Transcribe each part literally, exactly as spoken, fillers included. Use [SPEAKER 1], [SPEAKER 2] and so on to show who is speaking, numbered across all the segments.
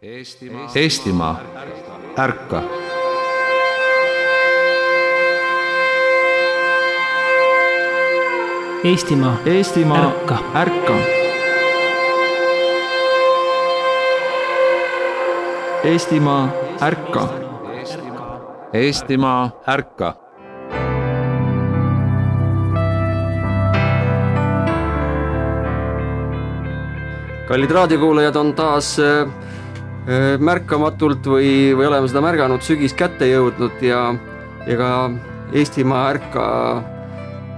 [SPEAKER 1] Eestimaa, Eestimaa, ärka!
[SPEAKER 2] Eestimaa,
[SPEAKER 3] Eestimaa,
[SPEAKER 2] ärka!
[SPEAKER 3] ärka! Eestimaa, ärka!
[SPEAKER 1] Eestimaa, ärka!
[SPEAKER 4] Kallid raadiokuulajad on taas äh, märkamatult või, või oleme seda märganud sügis kätte jõudnud ja, ja ka Eestimaa ärka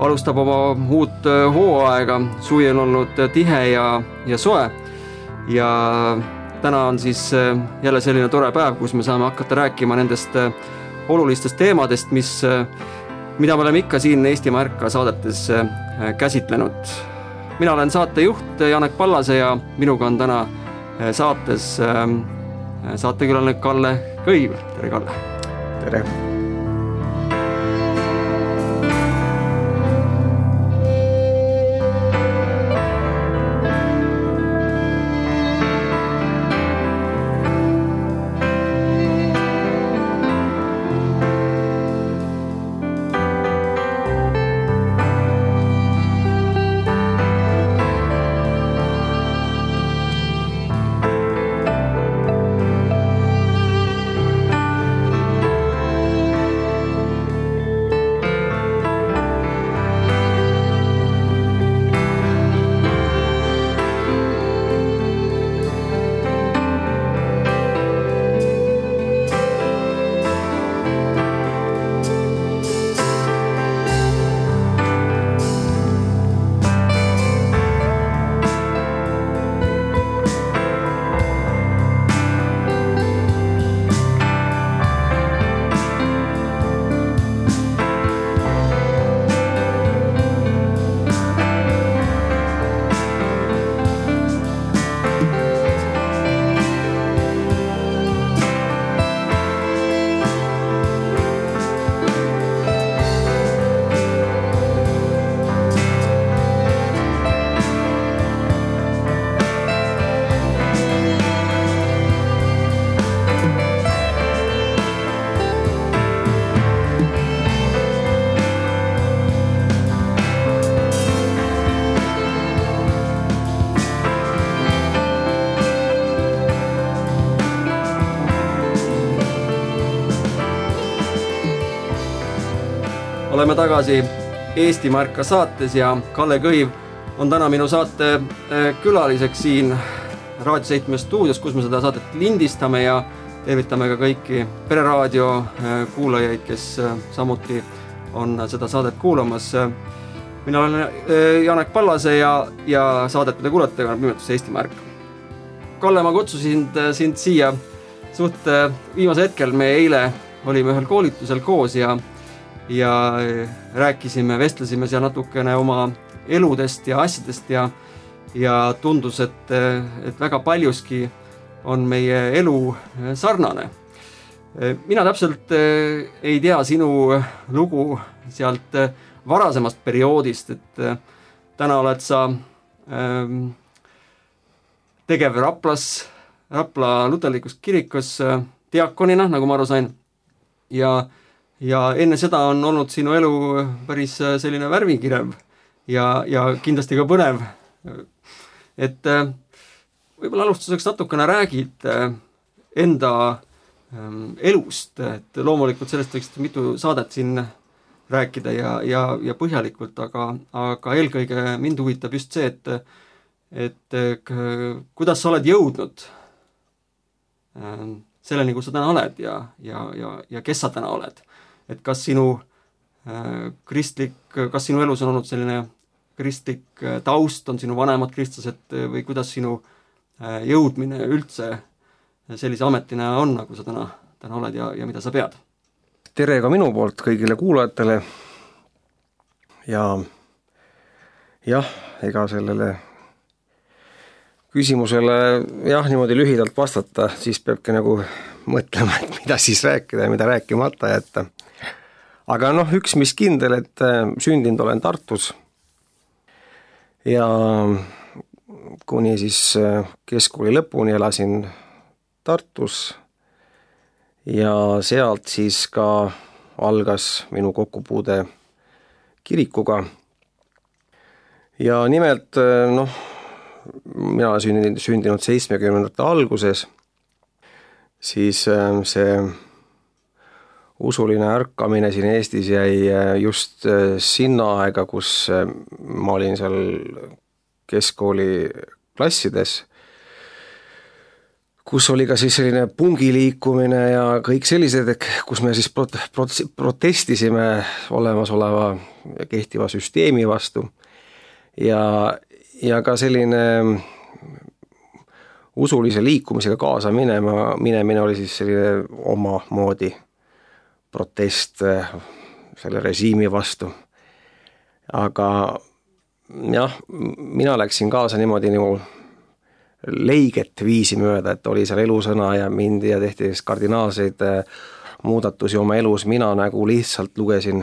[SPEAKER 4] alustab oma uut hooaega. Suvi on olnud tihe ja, ja soe ja täna on siis jälle selline tore päev, kus me saame hakata rääkima nendest olulistest teemadest, mis, mida me oleme ikka siin Eestimaa ärka saadetes käsitlenud. Mina olen saatejuht Janek Pallase ja minuga on täna saates saatekülaline Kalle Kõiv. Tere, Kalle!
[SPEAKER 5] Tere!
[SPEAKER 4] Oleme tagasi Eestimaa ärka saates ja Kalle Kõiv on täna minu saate külaliseks siin Raadio seitsme stuudios, kus me seda saadet lindistame ja tervitame ka kõiki Pereraadio kuulajaid, kes samuti on seda saadet kuulamas. Mina olen Janek Pallase ja, ja saadet, mida kuulete, on nimetus Eestimaa ärka. Kalle, ma kutsusin sind siia suht viimase hetkel. Me eile olime ühel koolitusel koos ja ja rääkisime, vestlesime seal natukene oma eludest ja asjadest ja, ja tundus, et, et väga paljuski on meie elu sarnane. Mina täpselt ei tea sinu lugu sealt varasemast perioodist, et täna oled sa ähm, tegev Raplas, Rapla luterlikus kirikus diakonina, nagu ma aru sain, ja Ja enne seda on olnud sinu elu päris selline värvikirev ja, ja kindlasti ka põnev. Et võib-olla alustuseks natukene räägid enda elust, et loomulikult sellest võiks mitu saadet siin rääkida ja, ja, ja põhjalikult, aga, aga eelkõige mind huvitab just see, et, et kuidas sa oled jõudnud selleni, kus sa täna oled ja, ja, ja, ja kes sa täna oled. Et kas sinu äh, kristlik, kas sinu elus on olnud selline kristlik äh, taust, on sinu vanemad kristlased või kuidas sinu äh, jõudmine üldse sellise ametina on, nagu sa täna, täna oled ja, ja mida sa pead?
[SPEAKER 5] Tere ka minu poolt kõigile kuulajatele ja jah, ega sellele küsimusele jah, niimoodi lühidalt vastata, siis peabki nagu mõtlema, et mida siis rääkida ja mida rääkimata jätta. Aga noh, üks mis kindel, et sündinud olen Tartus ja kuni siis keskkooli lõpuni elasin Tartus ja sealt siis ka algas minu kokkupuude kirikuga. Ja nimelt, noh, mina olen sündinud, sündinud seitsmekümnendate alguses, siis see usuline ärkamine siin Eestis jäi just sinna aega, kus ma olin seal keskkooli klassides, kus oli ka siis selline pungiliikumine ja kõik sellised, kus me siis prot- prot- protestisime olemasoleva kehtiva süsteemi vastu. Ja, ja ka selline usulise liikumisega kaasa minema, minemine oli siis selline oma moodi protest selle režiimi vastu. Aga jah, mina läksin kaasa niimoodi nagu leiget viisi mööda, et oli seal elusõna ja mindi ja tehti kardinaalseid muudatusi oma elus. Mina nagu lihtsalt lugesin,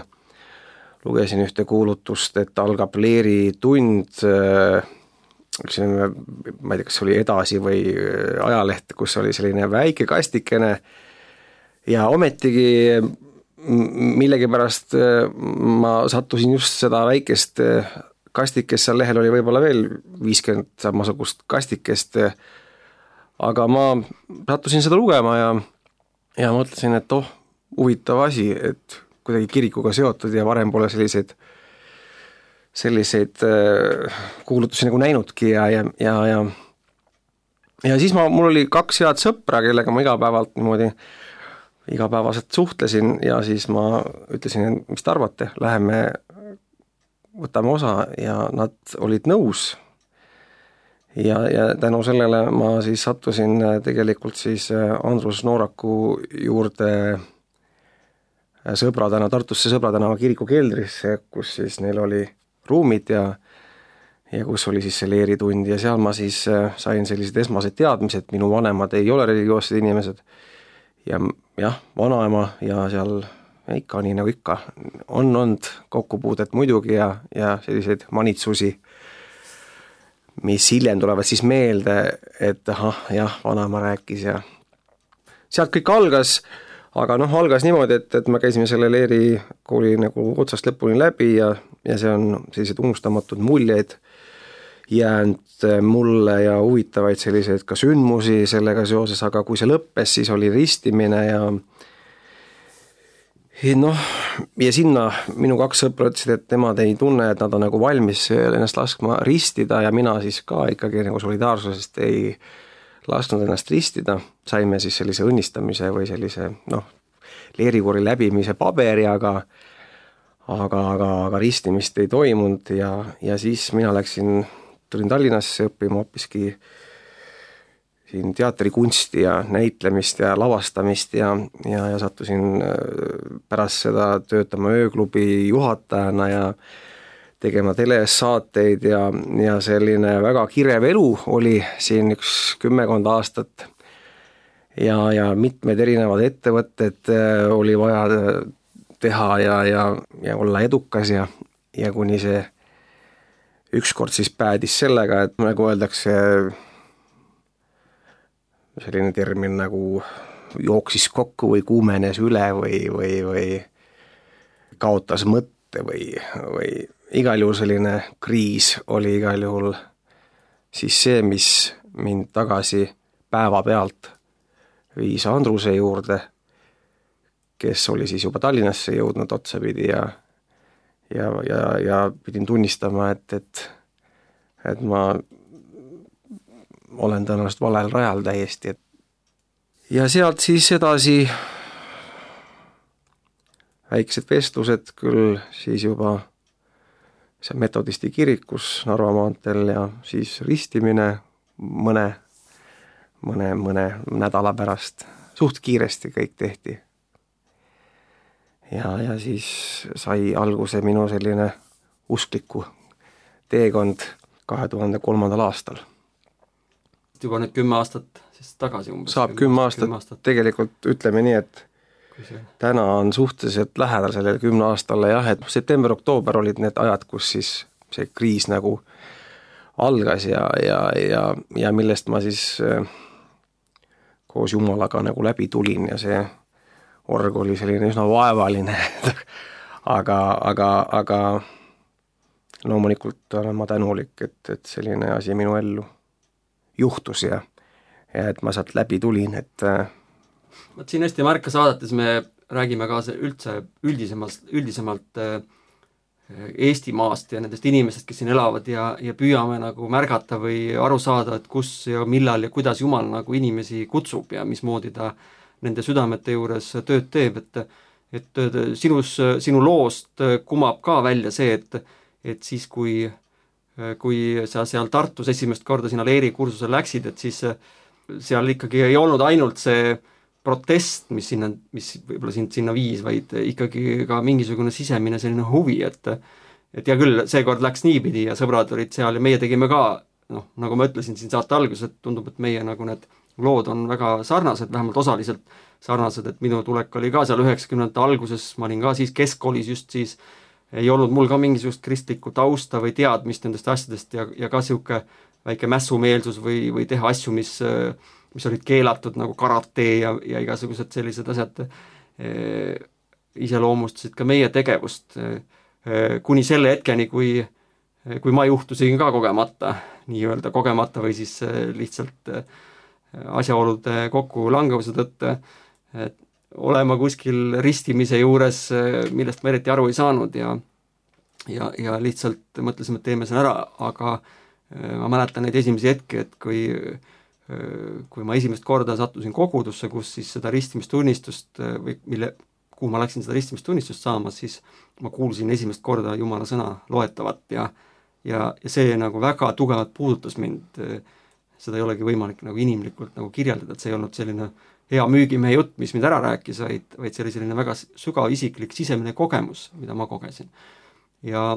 [SPEAKER 5] lugesin ühte kuulutust, et algab leeritund, ma ei tea, kas oli Edasi või ajaleht, kus oli selline väike kastikene ja ometigi millegipärast ma sattusin just seda väikest kastikest, seal lehel oli võib-olla veel viiskümmend samasugust kastikest, aga ma sattusin seda lugema ja, ja mõtlesin, et oh, huvitav asi, et kuidagi kirikuga seotud ja varem pole selliseid, selliseid kuulutusi nagu näinudki ja, ja, ja, ja, ja siis ma, mul oli kaks head sõpra, kellega ma igapäevalt niimoodi igapäevaselt suhtlesin ja siis ma ütlesin, mis te arvate, läheme võtame osa ja nad olid nõus ja, ja tänu sellele ma siis sattusin tegelikult siis Andrus Nooraku juurde Sõbratänava, Tartusse Sõbratänava kiriku keldrisse, kus siis neil oli ruumid ja, ja kus oli siis see leeritund ja seal ma siis sain sellised esmased teadmised, minu vanemad ei ole religioossed inimesed ja jah, vanaema ja seal ikka nii nagu ikka on olnud kokkupuudet muidugi ja, ja selliseid manitsusi, mis hiljem tulevad siis meelde, et ahah, jah, vanaema rääkis ja sealt kõik algas, aga noh, algas niimoodi, et, et me käisime selle leerikooli nagu otsast lõpuni läbi ja, ja see on sellised unustamatud muljeid jäänud mulle ja huvitavaid selliseid ka sündmusi sellega seoses, aga kui see lõppes, siis oli ristimine ja noh, ja sinna minu kaks sõpra ütlesid, et nemad ei tunne, et nad on nagu valmis ennast laskma ristida ja mina siis ka ikkagi nagu solidaarsusest ei lasknud ennast ristida. Saime siis sellise õnnistamise või sellise noh, leerikooli läbimise paberi, aga, aga, aga, aga ristimist ei toimunud ja, ja siis mina läksin, tulin Tallinnasse õppima hoopiski siin teatrikunsti ja näitlemist ja lavastamist ja, ja, ja sattusin pärast seda töötama ööklubi juhatajana ja tegema telesaateid ja, ja selline väga kirev elu oli siin üks kümmekond aastat ja, ja mitmed erinevad ettevõtted oli vaja teha ja, ja, ja olla edukas ja, ja kuni see ükskord siis päädis sellega, et nagu öeldakse, selline termin nagu jooksis kokku või kuumenes üle või, või, või kaotas mõtte või, või igal juhul selline kriis oli igal juhul siis see, mis mind tagasi päevapealt viis Andruse juurde, kes oli siis juba Tallinnasse jõudnud otsapidi ja, ja, ja, ja pidin tunnistama, et, et, et ma olen tõenäoliselt valel rajal täiesti. Ja sealt siis edasi väiksed vestlused küll siis juba see metodisti kirikus Narva maanteel ja siis ristimine mõne, mõne, mõne nädala pärast. Suht kiiresti kõik tehti. Ja, ja siis sai alguse minu selline uskliku teekond kahe tuhande kolmandal aastal.
[SPEAKER 4] Juba nüüd kümme aastat siis tagasi umbes.
[SPEAKER 5] Saab kümme aastat, kümme aastat, tegelikult ütleme nii, et see... täna on suhteliselt lähedal sellele kümne aastale jah, et september-oktoober olid need ajad, kus siis see kriis nagu algas ja, ja, ja, ja millest ma siis koos Jumalaga nagu läbi tulin ja see org oli selline üsna vaevaline aga, aga, aga loomulikult olen ma tänulik, et, et selline asi minu ellu juhtus ja, ja et ma sealt läbi tulin, et
[SPEAKER 4] Võt siin Eesti Märka saadetes me räägime ka üldse üldisemalt, üldisemalt Eestimaast ja nendest inimestest, kes siin elavad ja, ja püüame nagu märgata või aru saada, et kus ja millal ja kuidas Jumal nagu inimesi kutsub ja mismoodi ta nende südamete juures tööd teeb, et, et sinus, sinu loost kumab ka välja see, et, et siis kui, kui sa seal Tartus esimest korda sinna Leeri kursusel läksid, et siis seal ikkagi ei olnud ainult see protest, mis sinna, mis võib-olla sind sinna viis, vaid ikkagi ka mingisugune sisemine selline huvi, et et hea küll, seekord läks niipidi ja sõbrad olid seal ja meie tegime ka, noh, nagu ma ütlesin siin saate alguses, et tundub, et meie nagu need lood on väga sarnased, vähemalt osaliselt sarnased, et minu tulek oli ka seal üheksakümnendate alguses, ma olin ka siis keskkoolis just siis, ei olnud mul ka mingisugust kristlikku tausta või teadmist nendest asjadest ja, ja ka sihuke väike mässumeelsus või, või teha asju, mis mis olid keelatud nagu karate ja, ja igasugused sellised asjad e, iseloomustasid ka meie tegevust e, kuni selle hetkeni, kui, kui ma juhtusin ka kogemata, nii-öelda kogemata või siis lihtsalt asjaolude kokku langevuse tõttu, et olema kuskil ristimise juures, millest ma eriti aru ei saanud ja, ja, ja lihtsalt mõtlesime, et teeme selle ära, aga ma mäletan neid esimesi hetki, et kui kui ma esimest korda sattusin kogudusse, kus siis seda ristimistunnistust või mille, kuhu ma läksin seda ristimistunnistust saama, siis ma kuulsin esimest korda Jumala sõna loetavat ja, ja, ja see nagu väga tugevalt puudutas mind. Seda ei olegi võimalik nagu inimlikult nagu kirjeldada, et see ei olnud selline hea müügimehe jutt, mis mind ära rääkis, vaid, vaid see oli selline väga sügav isiklik sisemine kogemus, mida ma kogesin. Ja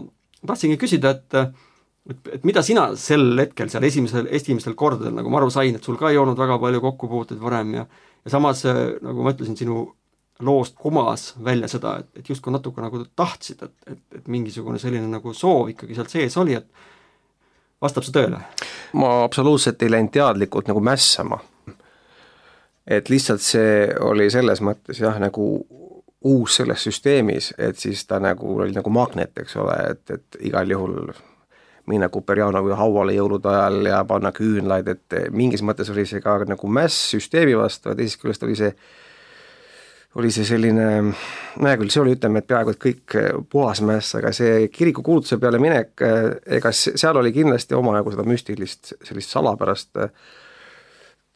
[SPEAKER 4] tahtsingi küsida, et Et, et mida sina sel hetkel seal esimesel, esimesel kordadel, nagu ma aru sain, et sul ka ei olnud väga palju kokkupuuteid varem ja, ja samas, nagu ma ütlesin, sinu loost kumas välja seda, et, et justkui natuke nagu tahtsid, et, et, et mingisugune selline nagu soov ikkagi sealt sees oli, et vastab see tööle?
[SPEAKER 5] Ma absoluutselt ei läinud teadlikult nagu mässama. Et lihtsalt see oli selles mõttes jah, nagu uus selles süsteemis, et siis ta nagu oli nagu magnet, eks ole, et, et igal juhul minna Kuperjanovi hauale jõulude ajal ja panna küünlaid, et mingis mõttes oli see ka nagu mäss süsteemi vastu ja teisest küljest oli see, oli see selline, näe küll, see oli, ütleme, et peaaegu et kõik puhas mäss, aga see kiriku kuulutuse peale minek, ega seal oli kindlasti omajagu seda müstilist, sellist salapärast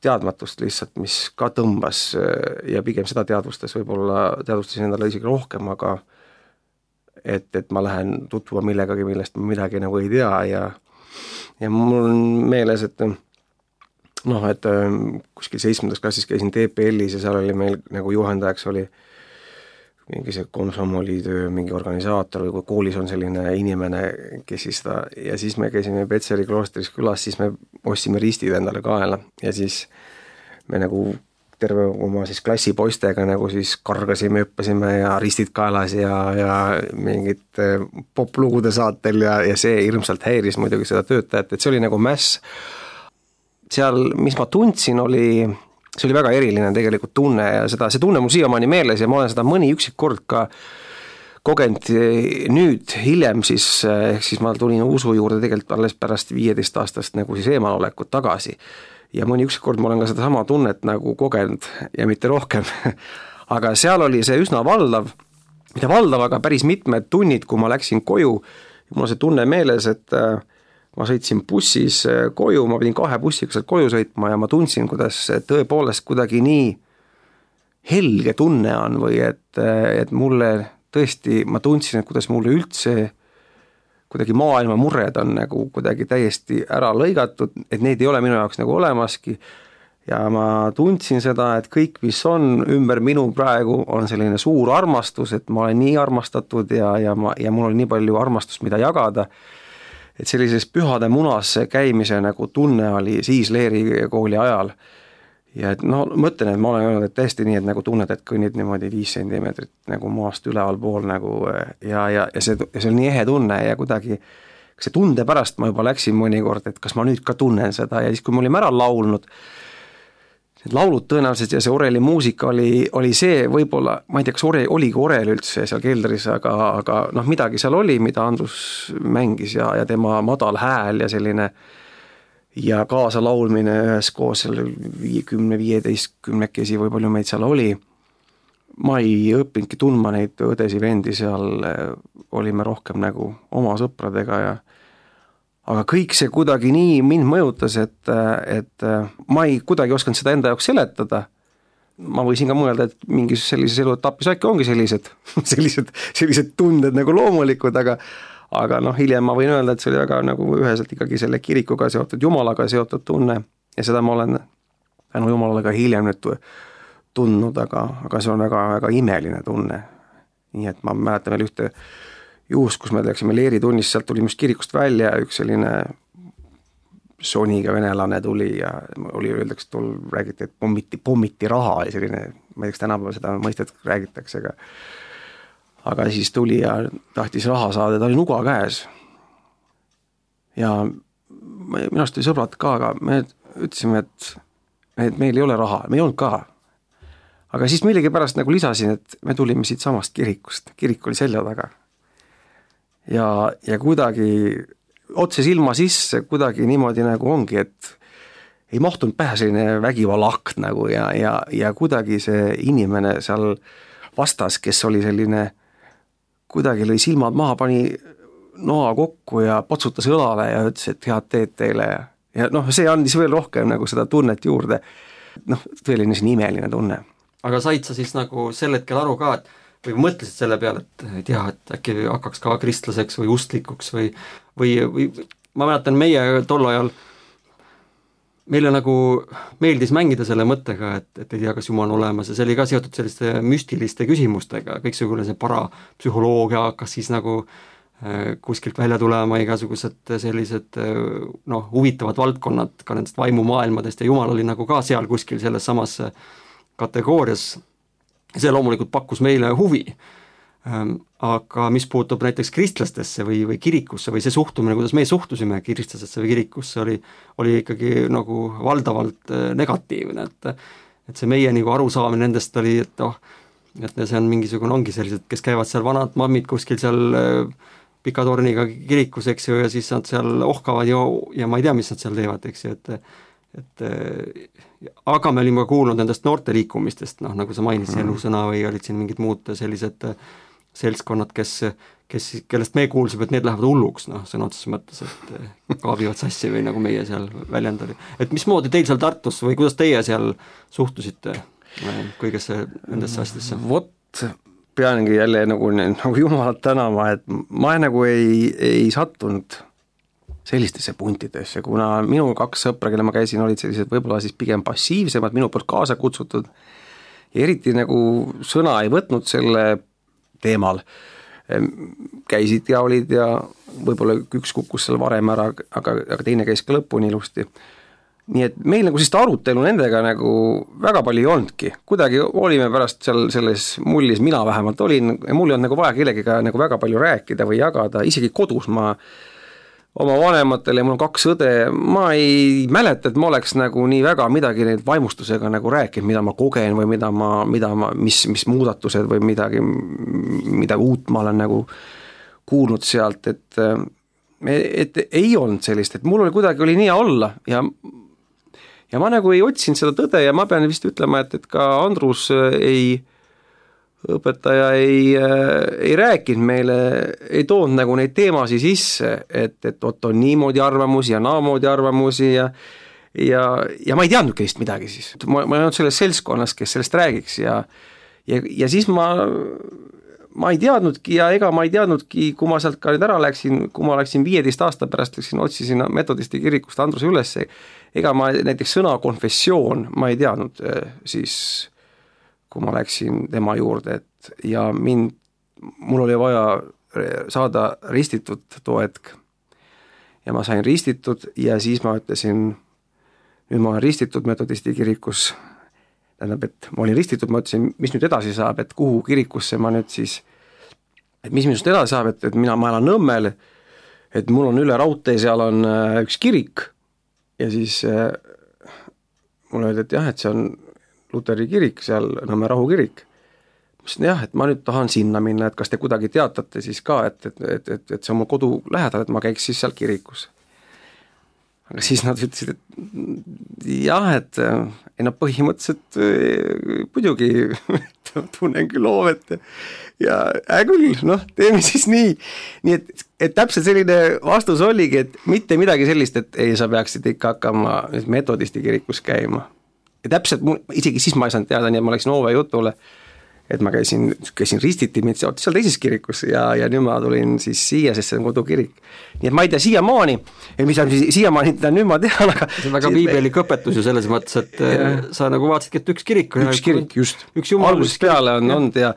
[SPEAKER 5] teadmatust lihtsalt, mis ka tõmbas ja pigem seda teadvustas, võib-olla teadvustasin endale isegi rohkem, aga et, et ma lähen tutvuma millegagi, millest ma midagi nagu ei tea ja ja mul on meeles, et noh, et kuskil seitsmendas klassis käisin T P L-is ja seal oli meil nagu juhendajaks oli mingi see komsomolitöö, mingi organisaator või kui koolis on selline inimene, kes siis seda, ja siis me käisime Petseri kloostris külas, siis me ostsime ristid endale kaela ja siis me nagu terve oma siis klassipoistega nagu siis kargasime, hüppasime ja ristid kaelas ja, ja mingid poplugude saatel ja, ja see hirmsalt häiris muidugi seda töötajat, et see oli nagu mäss. Seal, mis ma tundsin, oli, see oli väga eriline tegelikult tunne ja seda, see tunne mul siiamaani meeles ja ma olen seda mõni üksik kord ka kogenud nüüd hiljem siis, ehk siis ma tulin usu juurde tegelikult alles pärast viieteist aastast nagu siis eemalolekut tagasi. Ja mõni ükskord ma olen ka seda sama tunnet nagu kogenud ja mitte rohkem. Aga seal oli see üsna valdav, mitte valdav, aga päris mitmed tunnid, kui ma läksin koju. Mul on see tunne meeles, et ma sõitsin bussis koju, ma pidin kahe bussiga sealt koju sõitma ja ma tundsin, kuidas tõepoolest kuidagi nii helge tunne on või et, et mulle tõesti, ma tundsin, et kuidas mulle üldse kuidagi maailma murred on nagu kuidagi täiesti ära lõigatud, et neid ei ole minu jaoks nagu olemaski ja ma tundsin seda, et kõik, mis on ümber minu praegu, on selline suur armastus, et ma olen nii armastatud ja, ja, ma, ja mul on nii palju armastust, mida jagada, et sellises pühade munas käimise nagu tunne oli siis Leeri kooli ajal ja et no mõtlen, et ma olen öelnud, et täiesti nii, et nagu tunned, et kõnnid niimoodi viis sentimeetrit nagu maast üleval pool nagu ja, ja, ja see, see on nii ehe tunne ja kuidagi see tunde pärast ma juba läksin mõnikord, et kas ma nüüd ka tunnen seda ja siis, kui me olime ära laulnud, need laulud tõenäoliselt ja see oreli muusika oli, oli see võib-olla, ma ei tea, kas ore, oligi orel üldse seal keldris, aga, aga noh, midagi seal oli, mida Andrus mängis ja, ja tema madal hääl ja selline ja kaasa laulmine üheskoos seal viiekümne, viieteistkümnekesi või palju meid seal oli. Ma ei õppinudki tundma neid õdesi vendi seal, olime rohkem nagu oma sõpradega ja aga kõik see kuidagi nii mind mõjutas, et, et ma ei kuidagi osanud seda enda jaoks seletada. Ma võisin ka mõelda, et mingis sellises eluetapis äkki ongi sellised, sellised, sellised tunded nagu loomulikud, aga, aga noh, hiljem ma võin öelda, et see oli väga nagu üheselt ikkagi selle kirikuga seotud, Jumalaga seotud tunne ja seda ma olen tänu Jumalale ka hiljem nüüd tundnud, aga, aga see on väga, väga imeline tunne. Nii et ma mäletan veel ühte juhus, kus me läksime leeritunnis, sealt tuli just kirikust välja üks selline soniga venelane tuli ja oli öeldaks, et tol räägiti, et pommiti, pommiti raha oli selline, ma ei teaks tänapäeval seda mõistet räägitakse, aga aga siis tuli ja tahtis raha saada, ta oli nuga käes ja minu arust oli sõbrad ka, aga me ütlesime, et, et meil ei ole raha, me ei olnud ka aga siis millegi pärast nagu lisasin, et me tulime siit samast kirikust, kirik oli selja taga ja, ja kuidagi otse silma sisse kuidagi niimoodi nagu ongi, et ei mahtunud pähe selline vägivalakt nagu ja, ja, ja kuidagi see inimene seal vastas, kes oli selline, kuidagi lõi silmad maha, pani noa kokku ja potsutas õlale ja ütles, et head teed teile ja, ja noh, see andis veel rohkem nagu seda tunnet juurde, noh, tõeline siin imeline tunne.
[SPEAKER 4] Aga said sa siis nagu sel hetkel aru ka, et või mõtlesid selle peale, et ei tea, et äkki hakkaks ka kristlaseks või ustlikuks või, või, või ma mäletan meie tol ajal, meile nagu meeldis mängida selle mõttega, et, et ei tea, kas Jumal on olemas ja see oli ka seotud selliste müstiliste küsimustega, kõiksugune see parapsühholoogia hakkas siis nagu äh, kuskilt välja tulema, igasugused sellised äh, noh, huvitavad valdkonnad ka nendest vaimumaailmadest ja Jumal oli nagu ka seal kuskil selles samas kategoorias. See loomulikult pakkus meile huvi, aga mis puutub näiteks kristlastesse või, või kirikusse või see suhtumine, kuidas me suhtusime kristlasesse või kirikusse, oli, oli ikkagi nagu valdavalt negatiivne, et, et see meie nagu arusaamine nendest oli, et oh, et see on mingisugune, ongi sellised, kes käivad seal vanad mammid kuskil seal pika torniga kirikus, eks ju, ja siis nad seal ohkavad ja, ja ma ei tea, mis nad seal teevad, eks ju, et et aga me olime kuulnud nendest noorte liikumistest, noh, nagu sa mainisid, elusõna või olid siin mingid muud sellised seltskonnad, kes, kes, kellest me kuulsime, et need lähevad hulluks, noh, sõna otseses mõttes, et kaabivad sassi või nagu meie seal väljend oli. Et mismoodi teil seal Tartus või kuidas teie seal suhtusite kõigesse nendesse asjadesse?
[SPEAKER 5] Vot, peangi jälle nagu, nagu Jumalat tänama, et ma nagu ei, ei sattunud sellistesse puntidesse, kuna minu kaks sõpra, kelle ma käisin, olid sellised võib-olla siis pigem passiivsemad, minu poolt kaasa kutsutud ja eriti nagu sõna ei võtnud selle teemal. Käisid ja olid ja võib-olla üks kukkus seal varem ära, aga, aga teine käis ka lõpuni ilusti. Nii et meil nagu sellist arutelu nendega nagu väga palju ei olnudki. Kuidagi olime pärast seal selles mullis, mina vähemalt olin, ja mul ei olnud nagu vaja kellegiga nagu väga palju rääkida või jagada, isegi kodus ma oma vanematele, mul on kaks õde, ma ei mäleta, et ma oleks nagu nii väga midagi neid vaimustusega nagu rääkinud, mida ma kogen või mida ma, mida ma, mis, mis muudatused või midagi, midagi uut ma olen nagu kuulnud sealt, et, et ei olnud sellist, et mul oli kuidagi oli nii olla ja, ja ma nagu ei otsinud seda tõde ja ma pean vist ütlema, et, et ka Andrus ei õpetaja ei, ei rääkinud meile, ei toonud nagu neid teemasi sisse, et, et oot on niimoodi arvamusi ja naamoodi arvamusi ja, ja, ja ma ei teadnudki vist midagi siis. Ma, ma ei olnud selles seltskonnas, kes sellest räägiks ja, ja, ja siis ma, ma ei teadnudki ja ega ma ei teadnudki, kui ma sealt ka nüüd ära läksin, kui ma läksin viieteist aasta pärast, läksin, otsisin metodisti kirikust Andruse üles, ega ma näiteks sõna konfessioon, ma ei teadnud siis kui ma läksin tema juurde, et ja mind, mul oli vaja saada ristitud too hetk. Ja ma sain ristitud ja siis ma ütlesin, nüüd ma olen ristitud metodisti kirikus, tähendab, et ma olin ristitud, ma ütlesin, mis nüüd edasi saab, et kuhu kirikusse ma nüüd siis, et mis minust edasi saab, et, et mina, ma elan Nõmmel, et mul on üle raudtee, seal on üks kirik ja siis mulle öeldi, et jah, et see on Luteri kirik, seal Nõmme Rahu kirik. Ma ütlesin, jah, et ma nüüd tahan sinna minna, et kas te kuidagi teatate siis ka, et, et, et, et, et see on mu kodu lähedal, et ma käiks siis seal kirikus. Aga siis nad ütlesid, et jah, et ei no põhimõtteliselt muidugi tunnen küll hoovet ja hää küll, noh, teeme siis nii. Nii et, et täpselt selline vastus oligi, et mitte midagi sellist, et ei, sa peaksid ikka hakkama metodisti kirikus käima. Ja täpselt, isegi siis ma ei saanud teada, nii et ma läksin Oove jutule, et ma käisin, käisin ristiti mind seal teises kirikus ja, ja nüüd ma tulin siis siia, sest see on kodukirik. Nii et ma ei tea siiamaani, mis on siis siiamaani, nüüd ma tean, aga
[SPEAKER 4] see on väga piibelik õpetus ju selles mõttes, et ja. Sa nagu vaatasidki, et üks kirik
[SPEAKER 5] üks ja, kirik, just, algusest peale on olnud ja,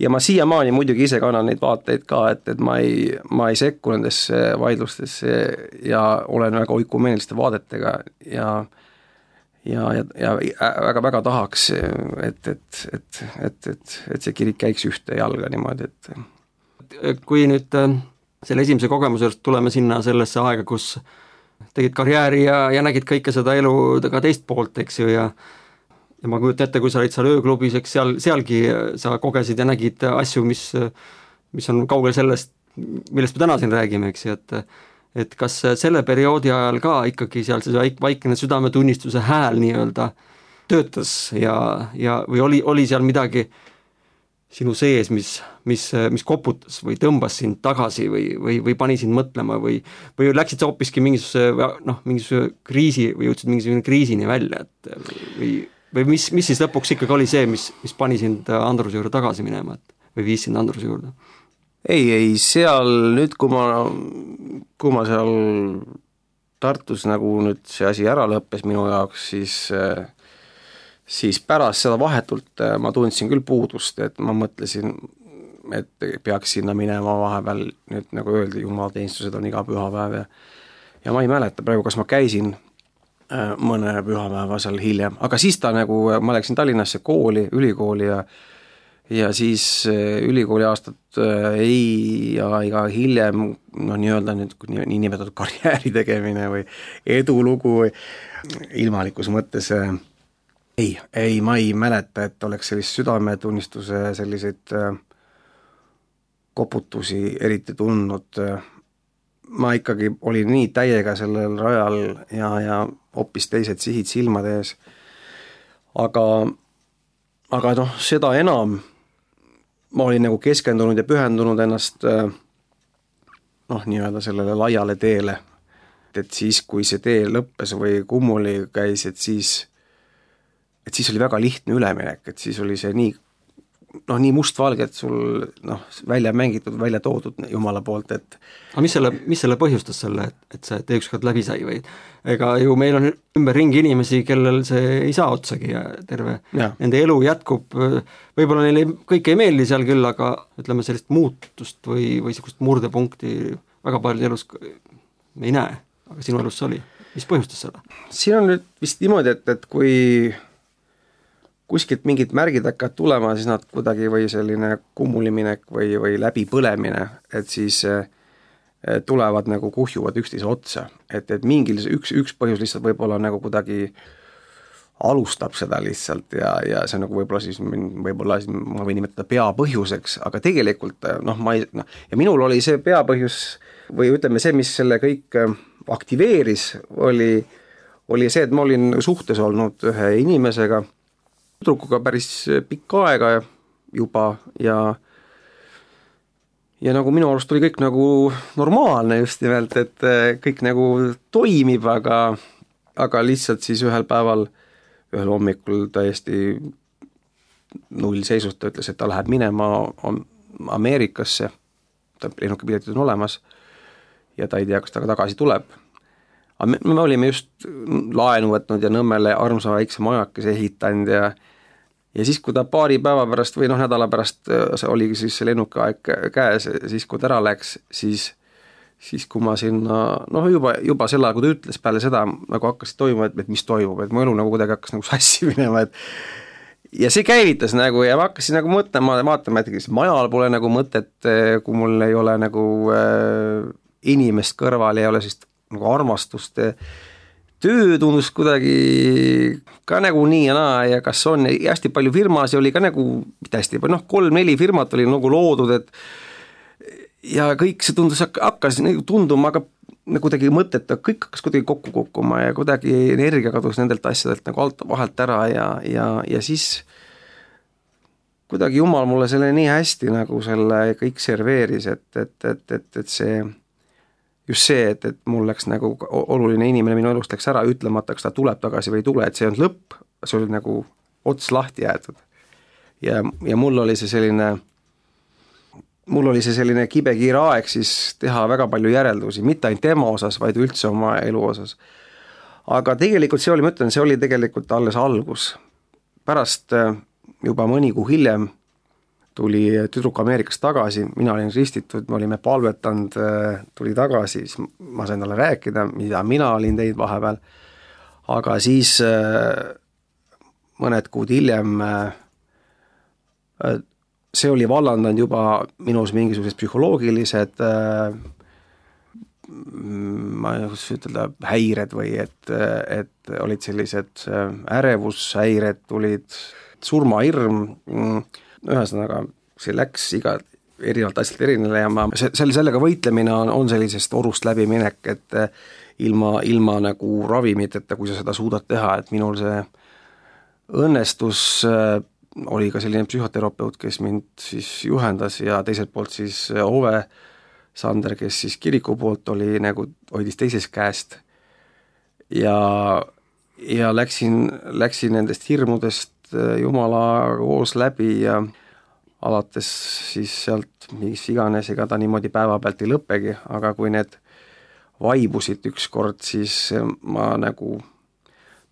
[SPEAKER 5] ja ma siiamaani muidugi ise kannan neid vaateid ka, et, et ma ei, ma ei sekku nendesse vaidlustesse ja olen väga oikumeeniliste vaadetega ja ja, ja, ja väga-väga tahaks, et, et, et, et, et, et see kirik käiks ühte jalga niimoodi, et
[SPEAKER 4] kui nüüd selle esimese kogemuse juurde tuleme sinna sellesse aega, kus tegid karjääri ja, ja nägid kõike seda elu ka teist poolt, eks ju, ja ja ma kujutan ette, kui sa olid seal ööklubis, eks seal, sealgi sa kogesid ja nägid asju, mis, mis on kaugel sellest, millest me täna siin räägime, eks ju, et et kas selle perioodi ajal ka ikkagi seal see vaikne südametunnistuse hääl nii-öelda töötas ja, ja või oli, oli seal midagi sinu sees, mis, mis, mis koputas või tõmbas sind tagasi või, või, või pani sind mõtlema või, või läksid sa hoopiski mingisuguse, noh, mingisuguse kriisi või jõudsid mingisugune kriisini välja, et või, või mis, mis siis lõpuks ikkagi oli see, mis, mis pani sind Andruse juurde tagasi minema, et, või viis sind Andruse juurde?
[SPEAKER 5] Ei, ei, seal nüüd, kui ma, kui ma seal Tartus nagu nüüd see asi ära lõppes minu jaoks, siis, siis pärast seda vahetult ma tundsin küll puudust, et ma mõtlesin, et peaks sinna minema vahepeal, nüüd nagu öeldi, jumalateenistused on iga pühapäev ja, ja ma ei mäleta praegu, kas ma käisin mõne pühapäeva seal hiljem, aga siis ta nagu, ma läksin Tallinnasse kooli, ülikooli ja ja siis ülikooli aastat ei ja iga hiljem no nii-öelda nüüd nii nimetatud karjääri tegemine või edulugu või ilmalikus mõttes ei, ei, ma ei mäleta, et oleks sellist südametunnistuse selliseid koputusi eriti tundnud. Ma ikkagi olin nii täiega sellel rajal ja, ja hoopis teised sihid silmade ees, aga aga noh, seda enam ma olin nagu keskendunud ja pühendunud ennast noh, nii-öelda sellele laiale teele. Et siis, kui see tee lõppes või kummuli käis, et siis, et siis oli väga lihtne üleminek, et siis oli see nii, noh, nii mustvalge, et sul noh, välja mängitud, välja toodud Jumala poolt, et
[SPEAKER 4] aga mis selle, mis selle põhjustas selle, et, et see tee ükskord läbi sai või? Ega ju meil on ümber ringi inimesi, kellel see ei saa otsagi ja terve ja. Nende elu jätkub, võib-olla neile kõik ei meeldi seal küll, aga ütleme sellist muutust või, või sellist murdepunkti väga palju elus me ei näe, aga sinu elus see oli. Mis põhjustas selle?
[SPEAKER 5] Siin on nüüd vist niimoodi, et, et kui kuskilt mingid märgid hakkavad tulema, siis nad kuidagi või selline kummuliminek või, või läbipõlemine, et siis tulevad nagu kuhjuvad üksteise otsa, et, et mingil üks, üks põhjus lihtsalt võib-olla nagu kuidagi alustab seda lihtsalt ja, ja see on nagu võib-olla siis, võib-olla siis ma võin nimetada peapõhjuseks, aga tegelikult noh, ma ei, noh, ja minul oli see peapõhjus või ütleme see, mis selle kõik aktiveeris, oli, oli see, et ma olin suhtes olnud ühe inimesega, tüdrukuga päris pikka aega juba ja ja nagu minu arust oli kõik nagu normaalne just nimelt, et kõik nagu toimib, aga, aga lihtsalt siis ühel päeval, ühel hommikul täiesti nullseisust ta ütles, et ta läheb minema Ameerikasse, ta lennukipiletid on olemas ja ta ei tea, kas ta tagasi tuleb. Me, me olime just laenu võtnud ja Nõmmele armsa väikse majakese ehitanud ja ja siis, kui ta paari päeva pärast või noh, nädala pärast see oligi siis see lennukaeg käes, siis kui ta ära läks, siis, siis kui ma sinna, noh juba, juba sel ajal, kui ta ütles peale seda, nagu hakkas toimuma, et, et mis toimub, et mu elu nagu kuidagi hakkas nagu sassi minema, et ja see käivitas nagu ja ma hakkasin nagu mõtlema, vaatama, et majal pole nagu mõtet, kui mul ei ole nagu äh, inimest kõrval, ei ole siis nagu armastust, töö tundus kuidagi ka nagu nii ja naa ja kas on ja hästi palju firmasid oli ka nagu, mitte hästi palju, noh, kolm-neli firmat oli nagu loodud, et ja kõik see tundus, hakkas nagu tunduma, aga kuidagi mõteta, kõik hakkas kuidagi kokku kukkuma ja kuidagi energia kadus nendelt asjadelt nagu alt, vahelt ära ja, ja, ja siis kuidagi jumal mulle selle nii hästi nagu selle kõik serveeris, et, et, et, et, et see just see, et, et mul läks nagu oluline inimene minu elust läks ära ütlemata, kas ta tuleb tagasi või ei tule, et see on lõpp, see oli nagu ots lahti jäetud. Ja, ja mul oli see selline, mul oli see selline kibekiire aeg siis teha väga palju järeldusi, mitte ainult tema osas, vaid üldse oma elu osas. Aga tegelikult see oli, ma ütlen, see oli tegelikult alles algus. Pärast juba mõni kuu hiljem tuli tüdruk Ameerikast tagasi, mina olin ristitud, me olime palvetanud, tuli tagasi, siis ma sain talle rääkida, mida mina olin teinud vahepeal, aga siis mõned kuud hiljem see oli vallandanud juba minus mingisugused psühholoogilised ma ei kus ütelda häired või et, et olid sellised ärevushäired, tulid surmahirm, ühesõnaga see läks iga erinevalt asjalt erinele ja ma, selle, sellega võitlemine on, on sellisest orust läbiminek, et ilma, ilma nagu ravimiteta, kui sa seda suudad teha, et minul see õnnestus oli ka selline psühhoterapeut, kes mind siis juhendas ja teiselt poolt siis Ove Sander, kes siis kiriku poolt oli nagu, hoidis teisest käest ja, ja läksin, läksin nendest hirmudest Jumala koos läbi ja alates siis sealt mis iganes, ega ta niimoodi päeva pealt ei lõppegi, aga kui need vaibusid ükskord, siis ma nagu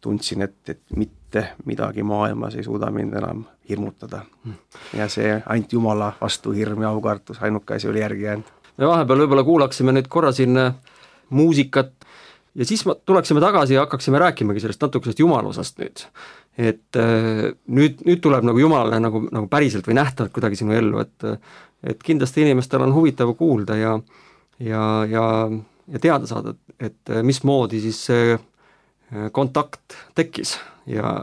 [SPEAKER 5] tundsin, et, et mitte midagi maailmas ei suuda mind enam hirmutada. Ja see ainult Jumala vastu hirm ja aukartus, ainuke asi oli järgi jäänud.
[SPEAKER 4] Me vahepeal võib-olla kuulaksime nüüd korra siin muusikat ja siis tuleksime tagasi ja hakkaksime rääkimagi sellest natukesest jumalusast nüüd. Et nüüd, nüüd tuleb nagu Jumalale nagu, nagu päriselt või nähtavalt kuidagi sinu ellu, et, et kindlasti inimestel on huvitav kuulda ja, ja, ja, ja teada saada, et mismoodi siis see kontakt tekkis ja,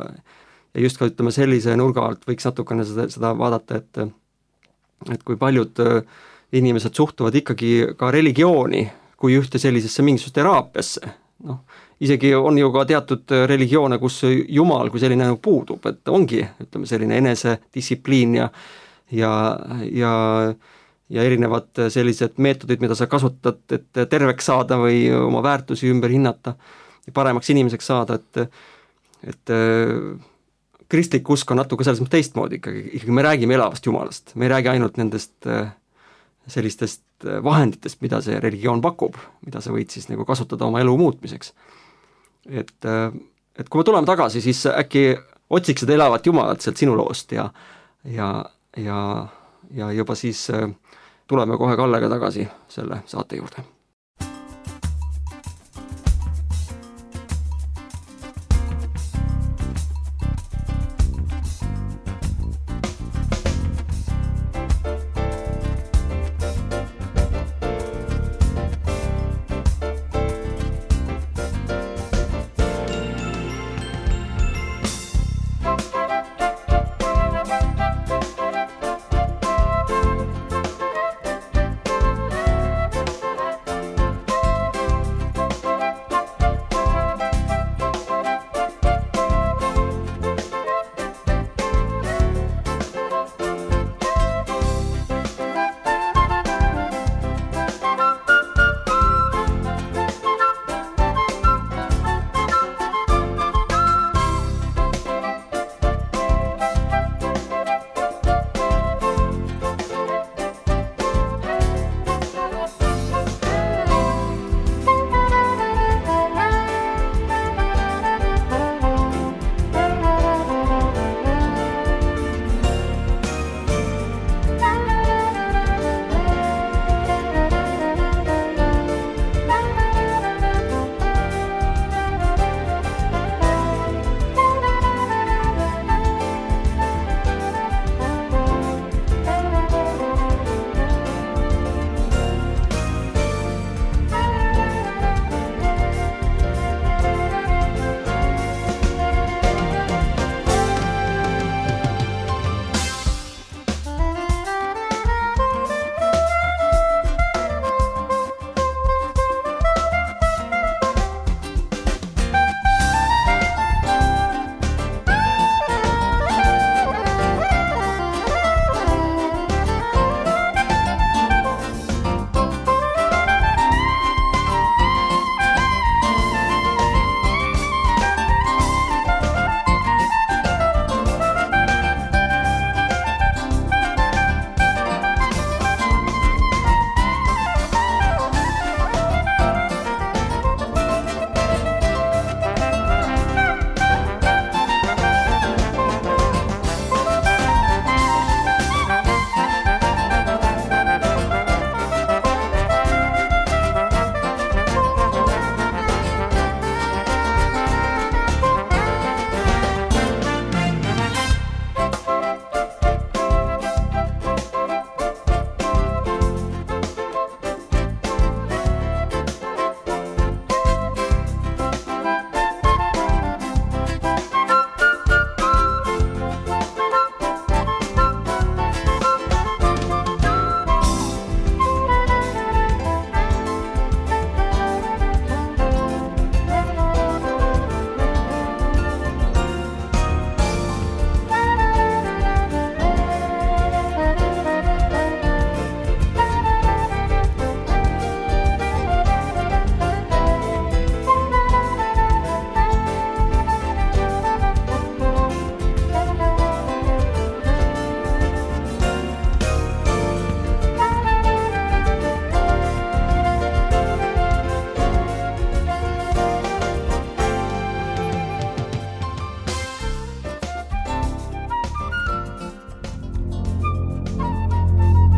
[SPEAKER 4] ja just ka ütleme sellise nurga alt võiks natukene seda, seda vaadata, et, et kui paljud inimesed suhtuvad ikkagi ka religiooni kui ühte sellisesse mingisugust teraapiasse, noh, isegi on ju ka teatud religioone, kus Jumal kui selline puudub, et ongi, ütleme, selline enesedistsipliin ja, ja, ja, ja erinevad sellised meetodid, mida sa kasutad, et terveks saada või oma väärtusi ümber hinnata ja paremaks inimeseks saada, et, et kristlik usk on natuke selles mõttes teistmoodi ikkagi, ikkagi me räägime elavast Jumalast, me ei räägi ainult nendest sellistest vahenditest, mida see religioon pakub, mida sa võid siis nagu kasutada oma elu muutmiseks. Et, et kui me tuleme tagasi, siis äkki otsiks seda elavat Jumalat sealt sinu loost ja, ja, ja, ja juba siis tuleme kohe Kallega tagasi selle saate juurde.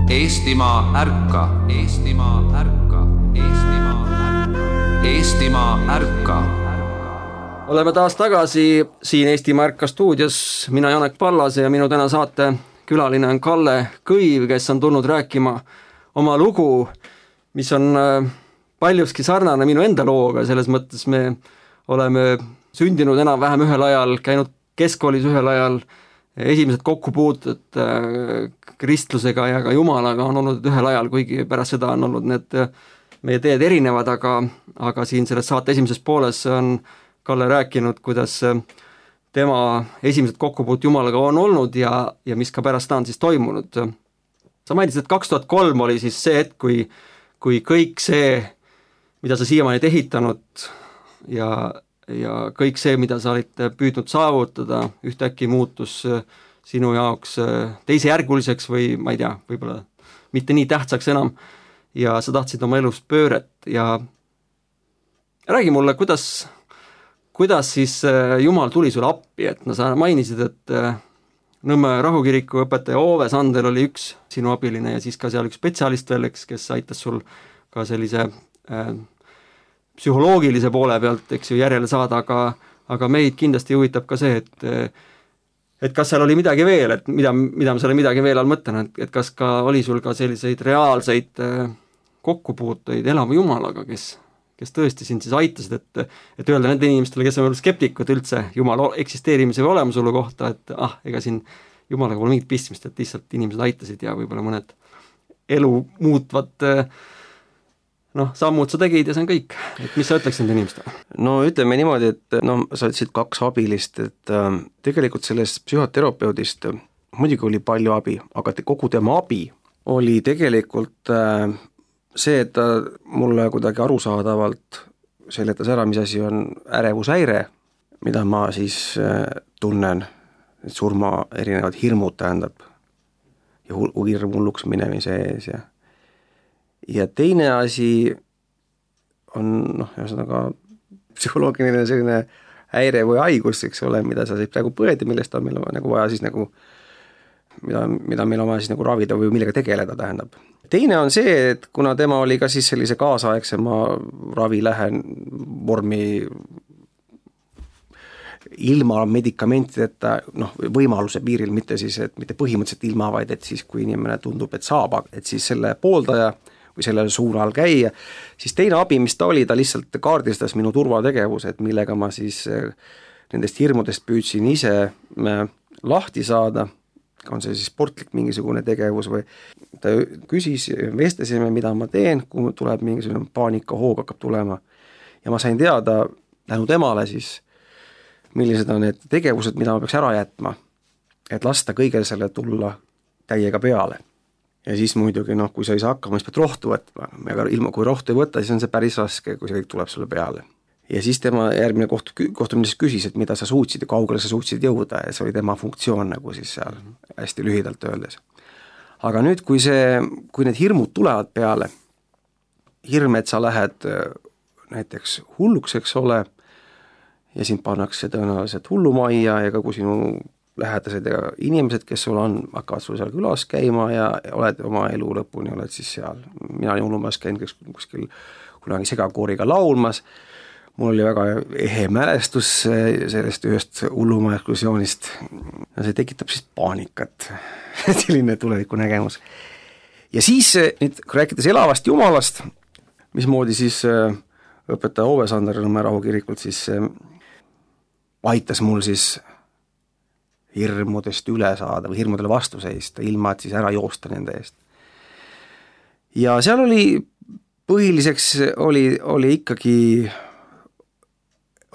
[SPEAKER 1] Eestimaa ärka, Eestimaa ärka, Eestimaa ärka, Eestimaa ärka.
[SPEAKER 4] Oleme taas tagasi siin Eestimaa ärka stuudios, mina Janek Pallase ja minu täna saate külaline on Kalle Kõiv, kes on tulnud rääkima oma lugu, mis on paljuski sarnane minu enda looga, selles mõttes me oleme sündinud enam-vähem ühel ajal, käinud keskkoolis ühel ajal, esimesed kokkupuutud kristlusega ja ka Jumalaga on olnud ühel ajal, kuigi pärast seda on olnud need meie teed erinevad, aga, aga siin selles saate esimeses pooles on Kalle rääkinud, kuidas tema esimesed kokkupuut Jumalaga on olnud ja, ja mis ka pärast on siis toimunud. Sa mainisid, et kaks tuhat kolm oli siis see hetk, kui, kui kõik see, mida sa siiamaani ehitanud ja ja kõik see, mida sa olid püüdnud saavutada, ühtäkki muutus sinu jaoks teisejärguliseks või ma ei tea, võib-olla mitte nii tähtsaks enam ja sa tahtsid oma elus pööret ja räägi mulle, kuidas, kuidas siis Jumal tuli sulle appi, et no sa mainisid, et Nõmme rahukiriku õpetaja Ove Sander oli üks sinu abiline ja siis ka seal üks spetsialist veel, eks, kes aitas sul ka sellise äh, psühholoogilise poole pealt, eks ju, järele saada, aga, aga meid kindlasti huvitab ka see, et et kas seal oli midagi veel, et mida, mida ma selle midagi veel all mõtlen, et, et kas ka oli sul ka selliseid reaalseid kokkupuuteid elava Jumalaga, kes, kes tõesti sind siis aitasid, et, et öelda nende inimestele, kes on skeptikud üldse Jumala eksisteerimise või olemasolu kohta, et ah, ega siin Jumalaga pole mingit pistmist, et lihtsalt inimesed aitasid ja võib-olla mõned elu muutvad noh, sammud sa tegid ja see on kõik, et mis sa ütleks nende inimestele?
[SPEAKER 5] No ütleme niimoodi, et no sa ütlesid kaks abilist, et äh, tegelikult sellest psühhoterapeudist muidugi oli palju abi, aga te, kogu tema abi oli tegelikult äh, see, et ta mulle kuidagi arusaadavalt seletas ära, mis asi on ärevushäire, mida ma siis äh, tunnen, et surma erinevad hirmud tähendab ja hirm hulluks minemise ees ja ja teine asi on noh, ühesõnaga psühholoogiline selline häire või haigus, eks ole, mida sa siis praegu põed ja millest on meil nagu vaja siis nagu, mida, mida meil on vaja siis nagu ravida või millega tegeleda tähendab. Teine on see, et kuna tema oli ka siis sellise kaasaegsema ravilähen vormi ilma medikamentideta, noh, võimaluse piiril, mitte siis, et mitte põhimõtteliselt ilma, vaid et siis, kui inimene tundub, et saab, et siis selle pooldaja või sellele suunal käia, siis teine abi, mis ta oli, ta lihtsalt kaardistas minu turvategevused, millega ma siis nendest hirmudest püüdsin ise lahti saada, on see siis sportlik mingisugune tegevus või ta küsis, vestlesime, mida ma teen, kui tuleb mingisugune paanikahoog hakkab tulema ja ma sain teada tänu temale siis, millised on need tegevused, mida ma peaks ära jätma, et lasta kõigel selle tulla täiega peale. Ja siis muidugi, noh, kui sa ei saa hakkama, siis pead rohtu võtma, aga ilma, kui rohtu ei võtta, siis on see päris raske, kui see kõik tuleb sulle peale. Ja siis tema järgmine koht, kohtumine siis küsis, et mida sa suutsid ja kaugele sa suutsid jõuda ja see oli tema funktsioon nagu siis seal hästi lühidalt öeldes. Aga nüüd, kui see, kui need hirmud tulevad peale, hirm, et sa lähed näiteks hulluks, eks ole, ja sind pannakse tõenäoliselt hullumajja ja ka kui sinu lähedased ja inimesed, kes sul on, hakkavad sul seal külas käima ja oled oma elu lõpuni, oled siis seal. Mina olin hullumajas käinud kuskil kunagi segakooriga laulmas, mul oli väga ehe mälestus sellest ühest hullumaja ekskursioonist ja see tekitab siis paanikat, selline tuleviku nägemus. Ja siis, nüüd rääkides elavast Jumalast, mismoodi siis õpetaja Ove Sander Nõmme rahukirikult siis aitas mul siis hirmudest üle saada või hirmudele vastu seista, ilma et siis ära joosta nende eest. Ja seal oli, põhiliseks oli, oli ikkagi,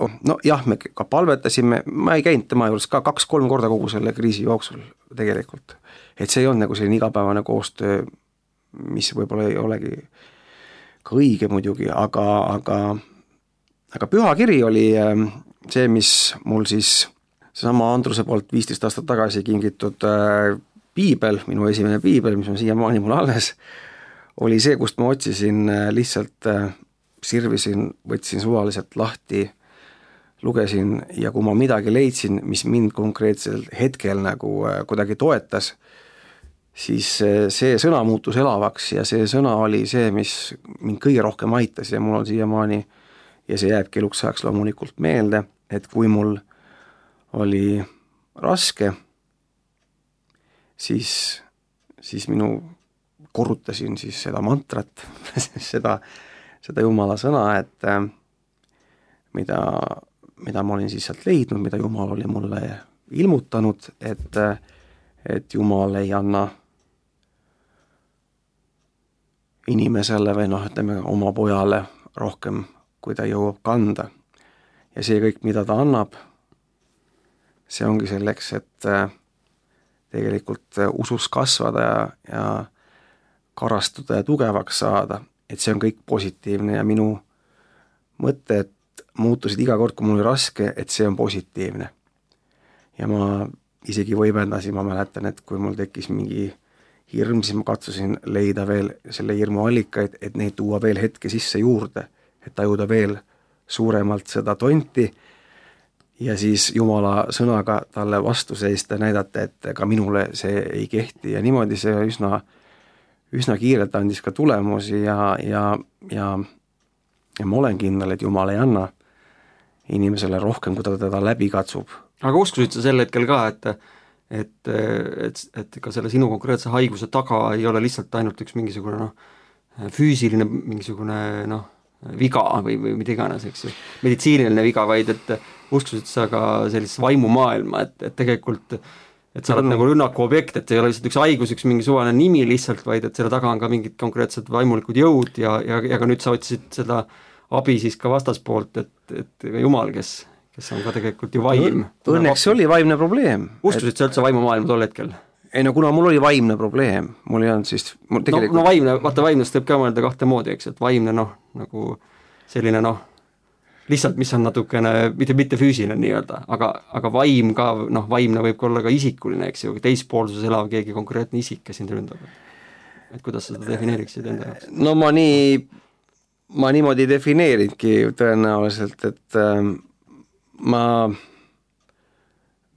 [SPEAKER 5] oh, no jah, me ka palvetasime, ma ei käinud tema juures ka kaks-kolm korda kogu selle kriisi jooksul tegelikult. Et see ei olnud nagu selline igapäevane koostöö, mis võib-olla ei olegi ka õige muidugi, aga, aga, aga püha kiri oli see, mis mul siis seesama Andruse poolt viisteist aastat tagasi kingitud äh, piibel, minu esimene piibel, mis on siiamaani mul alles, oli see, kust ma otsisin äh, lihtsalt äh, sirvisin, võtsin suvaliselt lahti, lugesin ja kui ma midagi leidsin, mis mind konkreetsel hetkel nagu äh, kuidagi toetas, siis see sõna muutus elavaks ja see sõna oli see, mis mind kõige rohkem aitas ja mul on siiamaani ja see jääbki eluks ajaks loomulikult meelde, et kui mul oli raske, siis, siis minu korrutasin siis seda mantrat, seda, seda Jumala sõna, et mida, mida ma olin siis sealt leidnud, mida Jumal oli mulle ilmutanud, et, et Jumal ei anna inimesele või noh, ütleme oma pojale rohkem, kui ta jõuab kanda. Ja see kõik, mida ta annab, see ongi selleks, et tegelikult usus kasvada ja, ja karastuda ja tugevaks saada, et see on kõik positiivne ja minu mõtted muutusid iga kord, kui mul oli raske, et see on positiivne. Ja ma isegi võimendasin, ma mäletan, et kui mul tekkis mingi hirm, siis ma katsusin leida veel selle hirmu allikaid, et neid tuua veel hetke sisse juurde, et tajuda veel suuremalt seda tonti ja siis Jumala sõnaga talle vastu seista ja näidata, et ka minule see ei kehti ja niimoodi see üsna üsna kiirelt andis ka tulemusi ja, ja, ja, ja ma olen kindel, et Jumal ei anna inimesele rohkem, kui ta teda läbi katsub.
[SPEAKER 4] Aga uskusid sa sel hetkel ka, et, et, et, et ka selle sinu konkreetse haiguse taga ei ole lihtsalt ainult üks mingisugune noh, füüsiline mingisugune noh, viga või, või mida iganes, eks ju, meditsiiniline viga, vaid et uskusid sa ka sellist vaimumaailma, et, et tegelikult et sa oled no, nagu rünnaku objekt, et see ei ole lihtsalt üks haigus, üks mingi suvaline nimi lihtsalt, vaid et selle taga on ka mingid konkreetsed vaimulikud jõud ja, ja, ja ka nüüd sa otsisid seda abi siis ka vastaspoolt, et, et Jumal, kes, kes on ka tegelikult ju vaim.
[SPEAKER 5] Õnneks see oli vaimne probleem.
[SPEAKER 4] Ustusid et... sa üldse vaimumaailma tol hetkel?
[SPEAKER 5] Ei no kuna mul oli vaimne probleem, mul ei olnud siis mul tegelikult...
[SPEAKER 4] no, no vaimne, vaata vaimnest võib ka mõelda kahte moodi, eks, et vaimne noh, nagu selline noh, lihtsalt, mis on natukene, mitte, mitte füüsiline nii-öelda, aga, aga vaim ka, noh, vaimne võib olla ka isikuline, eks ju, teispoolsuses elav keegi konkreetne isik, kes sind ründab. Et kuidas sa seda defineeriksid enda jaoks?
[SPEAKER 5] No ma nii, ma niimoodi defineeringi tõenäoliselt, et äh, ma,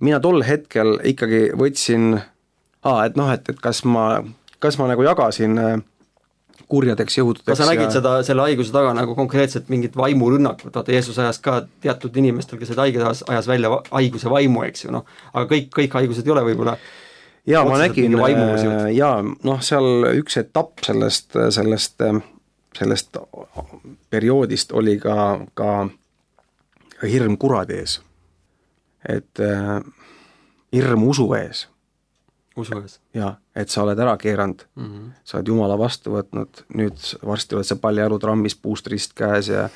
[SPEAKER 5] mina tol hetkel ikkagi võtsin, aa, et noh, et, et kas ma, kas ma nagu jagasin äh, kurjadeks jõududeks.
[SPEAKER 4] Kas sa nägid ja... seda, selle haiguse taga nagu konkreetselt mingit vaimurünnakut, vaata Jeesus ajas ka teatud inimestel, kes haiged ajas, ajas välja haiguse vaimu, eks ju, noh, aga kõik, kõik haigused ei ole võib-olla
[SPEAKER 5] jaa, ma nägin, jaa, noh, seal üks etapp sellest, sellest, sellest perioodist oli ka, ka hirm kuradi ees, et äh, hirm usu ees.
[SPEAKER 4] Usu ees.
[SPEAKER 5] Jaa, et sa oled ära keeranud, mm -hmm. sa oled Jumala vastu võtnud, nüüd varsti oled sa paljajalu trammis puust rist käes ja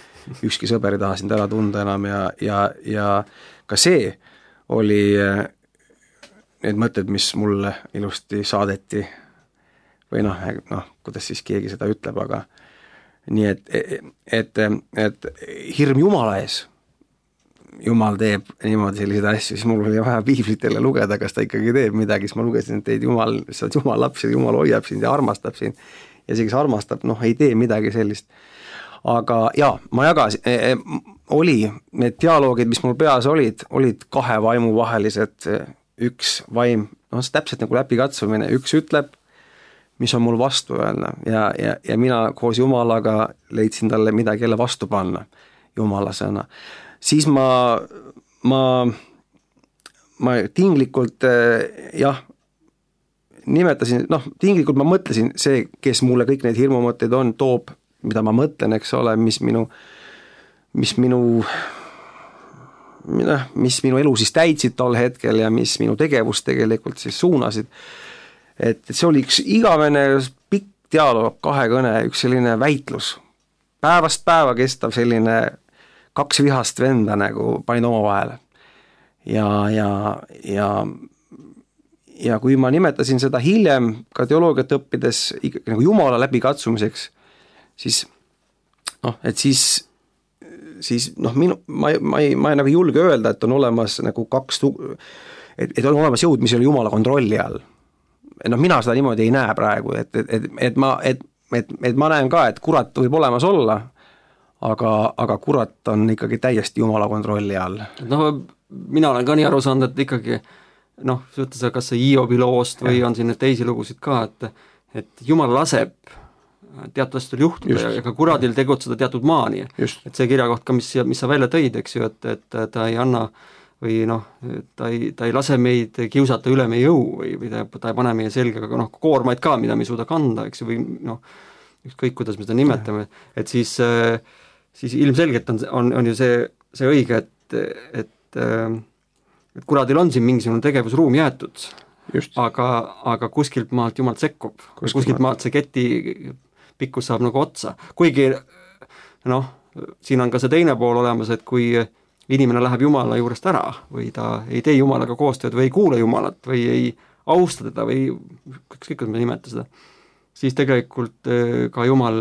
[SPEAKER 5] ükski sõber ei taha sind ära tunda enam ja, ja, ja ka see oli need mõtted, mis mulle ilusti saadeti või noh, noh, kuidas siis keegi seda ütleb, aga nii et, et, et hirm Jumala ees, Jumal teeb niimoodi selliseid asju, siis mul oli vaja piiblit jälle lugeda, kas ta ikkagi teeb midagi, siis ma lugesin, et teid Jumal, sa oled Jumal laps ja Jumal hoiab sind ja armastab sind ja see, kes armastab, noh, ei tee midagi sellist. Aga jaa, ma jagasin, e, oli need dialoogid, mis mul peas olid, olid kahe vaimu vahelised, üks vaim, noh, see täpselt nagu läbikatsumine, üks ütleb, mis on mul vastu öelda ja, ja, ja mina koos Jumalaga leidsin talle midagi jälle vastu panna, Jumala sõna. Siis ma, ma, ma tinglikult jah, nimetasin, noh, tinglikult ma mõtlesin, see, kes mulle kõik need hirmumõtteid on, toob, mida ma mõtlen, eks ole, mis minu, mis minu, mis minu elu siis täitsid tol hetkel ja mis minu tegevust tegelikult siis suunasid. Et see oli üks igavene pikk dialoog, kahekõne, üks selline väitlus, päevast päeva kestav selline kaks vihast venda nagu panin oma vahele. Ja, ja, ja, ja kui ma nimetasin seda hiljem ka teoloogiat õppides nagu Jumala läbikatsumiseks, siis noh, et siis, siis noh, minu, ma, ma, ei, ma ei nagu julge öelda, et on olemas nagu kaks, et, et on olemas jõud, mis ei ole Jumala kontrolli all. Noh, mina seda niimoodi ei näe praegu, et, et, et, et, ma, et, et, et ma näen ka, et kurat võib olemas olla, aga, aga kurat on ikkagi täiesti Jumala kontrolli all.
[SPEAKER 4] No mina olen ka nii aru saanud, et ikkagi noh, võttes kas see Hiobi loost või on siin teisi lugusid ka, et et Jumal laseb teatud asjadel juhtuda Just. ja ka kuradil tegutseda teatud maani.
[SPEAKER 5] Just.
[SPEAKER 4] Et see kirjakoht ka, mis, mis sa välja tõid, eks ju, et, et ta ei anna või noh, ta ei, ta ei lase meid kiusata üle meie jõu või, või ta, ta ei pane meie selga noh, koormaid ka, mida me ei suuda kanda, eks ju, või noh, ükskõik, kuidas me seda nimetame, et siis, siis ilmselgelt on, on, on ju see, see õige, et, et, et kuradil on siin mingisugune tegevusruum jäetud,
[SPEAKER 5] Just.
[SPEAKER 4] aga, aga kuskilt maalt Jumalt sekkub, kuskilt, kuskilt maalt see keti pikkus saab nagu otsa, kuigi noh, siin on ka see teine pool olemas, et kui inimene läheb Jumala juurest ära või ta ei tee Jumalaga koostööd või ei kuule Jumalat või ei austa teda või ükskõik, kuidas me nimeta seda, siis tegelikult ka Jumal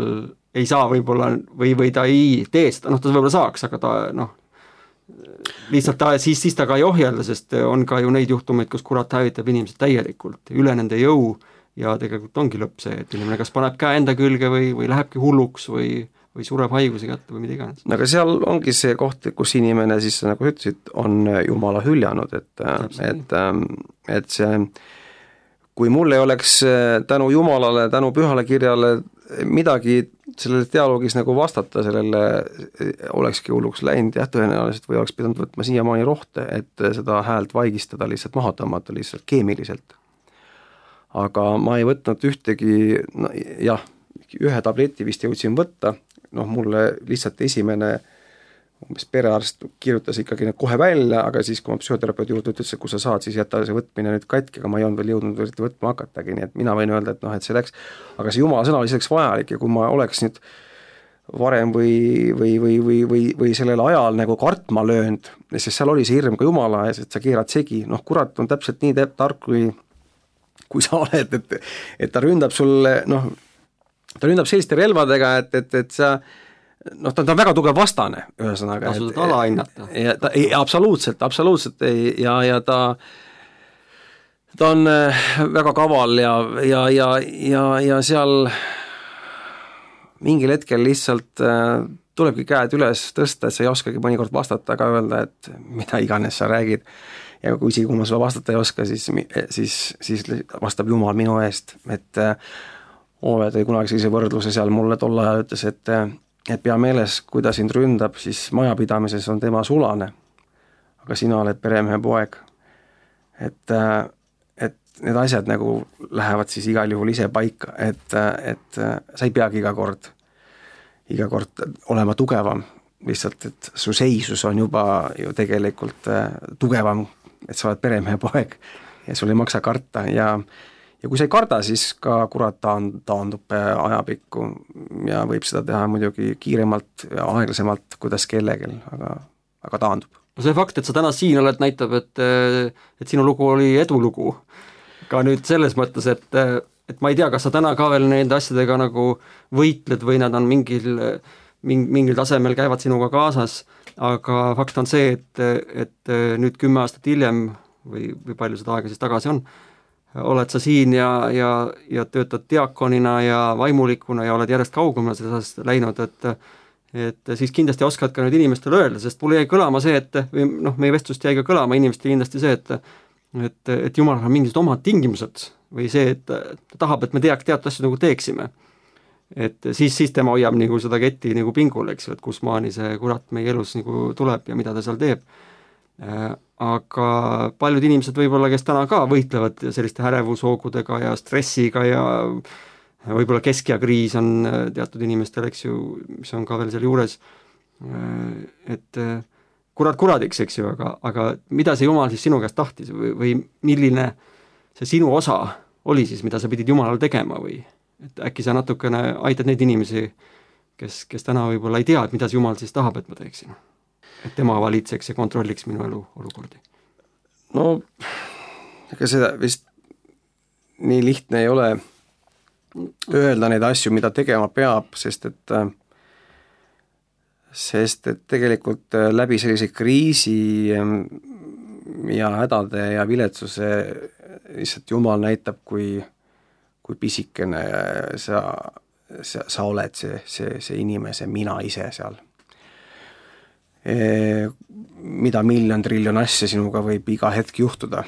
[SPEAKER 4] ei saa võib-olla või, või ta ei tee seda, noh ta võib-olla saaks, aga ta noh, lihtsalt ta, siis, siis ta ka ei ohjelda, sest on ka ju neid juhtumeid, kus kurat hävitab inimesed täielikult üle nende jõu ja tegelikult ongi lõpp see, et inimene kas paneb käe enda külge või, või lähebki hulluks või, või sureb haiguse kätte või mida iganes.
[SPEAKER 5] Aga seal ongi see koht, kus inimene siis, nagu sa ütlesid, on Jumala hüljanud, et, et, et see, kui mul ei oleks tänu Jumalale, tänu pühale kirjale midagi sellele dialoogis nagu vastata, sellele olekski hulluks läinud, jah, tõenäoliselt või oleks pidanud võtma siiamaani rohte, et seda häält vaigistada, lihtsalt maha tõmmata, lihtsalt keemiliselt. Aga ma ei võtnud ühtegi, no, jah, ühe tableti vist jõudsin võtta, noh, mulle lihtsalt esimene umbes perearst kirjutas ikkagi need kohe välja, aga siis, kui ma psühhoterapeudi juurde ütles, et kui sa saad, siis jätta see võtmine nüüd katki, aga ma ei olnud veel jõudnud võtma hakatagi, nii et mina võin öelda, et noh, et see läks, aga see Jumala sõna oli selleks vajalik ja kui ma oleks nüüd varem või, või, või, või, või, või sellel ajal nagu kartma löönud, sest seal oli see hirm ka Jumala ees, et sa keerad segi, noh, kurat on täpselt nii tark, kui, kui sa oled, et, et ta ründab sulle, noh, ta ründab selliste relvadega, et, et, et sa noh, ta on väga tugev vastane, ühesõnaga.
[SPEAKER 4] Tasud ala hinnata.
[SPEAKER 5] Ja, ta, ei, absoluutselt, absoluutselt ei, ja, ja ta, ta on väga kaval ja, ja, ja, ja, ja seal mingil hetkel lihtsalt äh, tulebki käed üles tõsta, et sa ei oskagi mõnikord vastata, aga öelda, et mida iganes sa räägid. Ja kui isegi, kui ma sulle vastata ei oska, siis, siis, siis vastab Jumal minu eest. Et äh, Oove tõi kunagi sellise võrdluse seal mulle tol ajal ütles, et et pea meeles, kui ta sind ründab, siis majapidamises on tema sulane, aga sina oled peremehe poeg. Et, et need asjad nagu lähevad siis igal juhul ise paika, et, et sa ei peagi iga kord, iga kord olema tugevam, lihtsalt, et su seisus on juba ju tegelikult tugevam, et sa oled peremehe poeg ja sul ei maksa karta ja ja kui sa ei karda, siis ka kurat taandub ajapikku ja võib seda teha muidugi kiiremalt ja aeglasemalt, kuidas kellegel, aga, aga taandub.
[SPEAKER 4] No see fakt, et sa täna siin oled, näitab, et, et sinu lugu oli edulugu. Ka nüüd selles mõttes, et, et ma ei tea, kas sa täna ka veel nende asjadega nagu võitled või nad on mingil, mingil tasemel käivad sinuga kaasas, aga fakt on see, et, et nüüd kümme aastat hiljem või, või palju seda aega siis tagasi on, oled sa siin ja, ja, ja töötad diakonina ja vaimulikuna ja oled järjest kaugemale sellest läinud, et, et siis kindlasti oskad ka nüüd inimestele öelda, sest mulle jäi kõlama see, et või noh, meie vestlust jäi ka kõlama inimestele kindlasti see, et et, et Jumalal on mingisugused omad tingimused või see, et ta tahab, et me teaks teatud asju nagu teeksime. Et siis, siis tema hoiab nagu seda ketti nagu pingul, eks ju, et kus maani see kurat meie elus nagu tuleb ja mida ta seal teeb. Aga paljud inimesed võib-olla, kes täna ka võitlevad selliste ärevushoogudega ja stressiga ja võib-olla keskjakriis on teatud inimestel, eks ju, mis on ka veel seal juures, et kurat kuradiks, eks ju, aga, aga mida see Jumal siis sinu käest tahtis või, või milline see sinu osa oli siis, mida sa pidid Jumalal tegema või et äkki sa natukene aitad neid inimesi, kes, kes täna võib-olla ei tea, et mida see Jumal siis tahab, et ma teeksin? Et tema valitseks ja kontrolliks minu elu olukordi?
[SPEAKER 5] No, ega seda vist nii lihtne ei ole öelda neid asju, mida tegema peab, sest et sest et tegelikult läbi sellise kriisi ja hädade ja viletsuse lihtsalt Jumal näitab, kui, kui pisikene sa, sa, sa oled see, see, see inimese mina ise seal. Mida miljon triljon asja sinuga võib iga hetk juhtuda.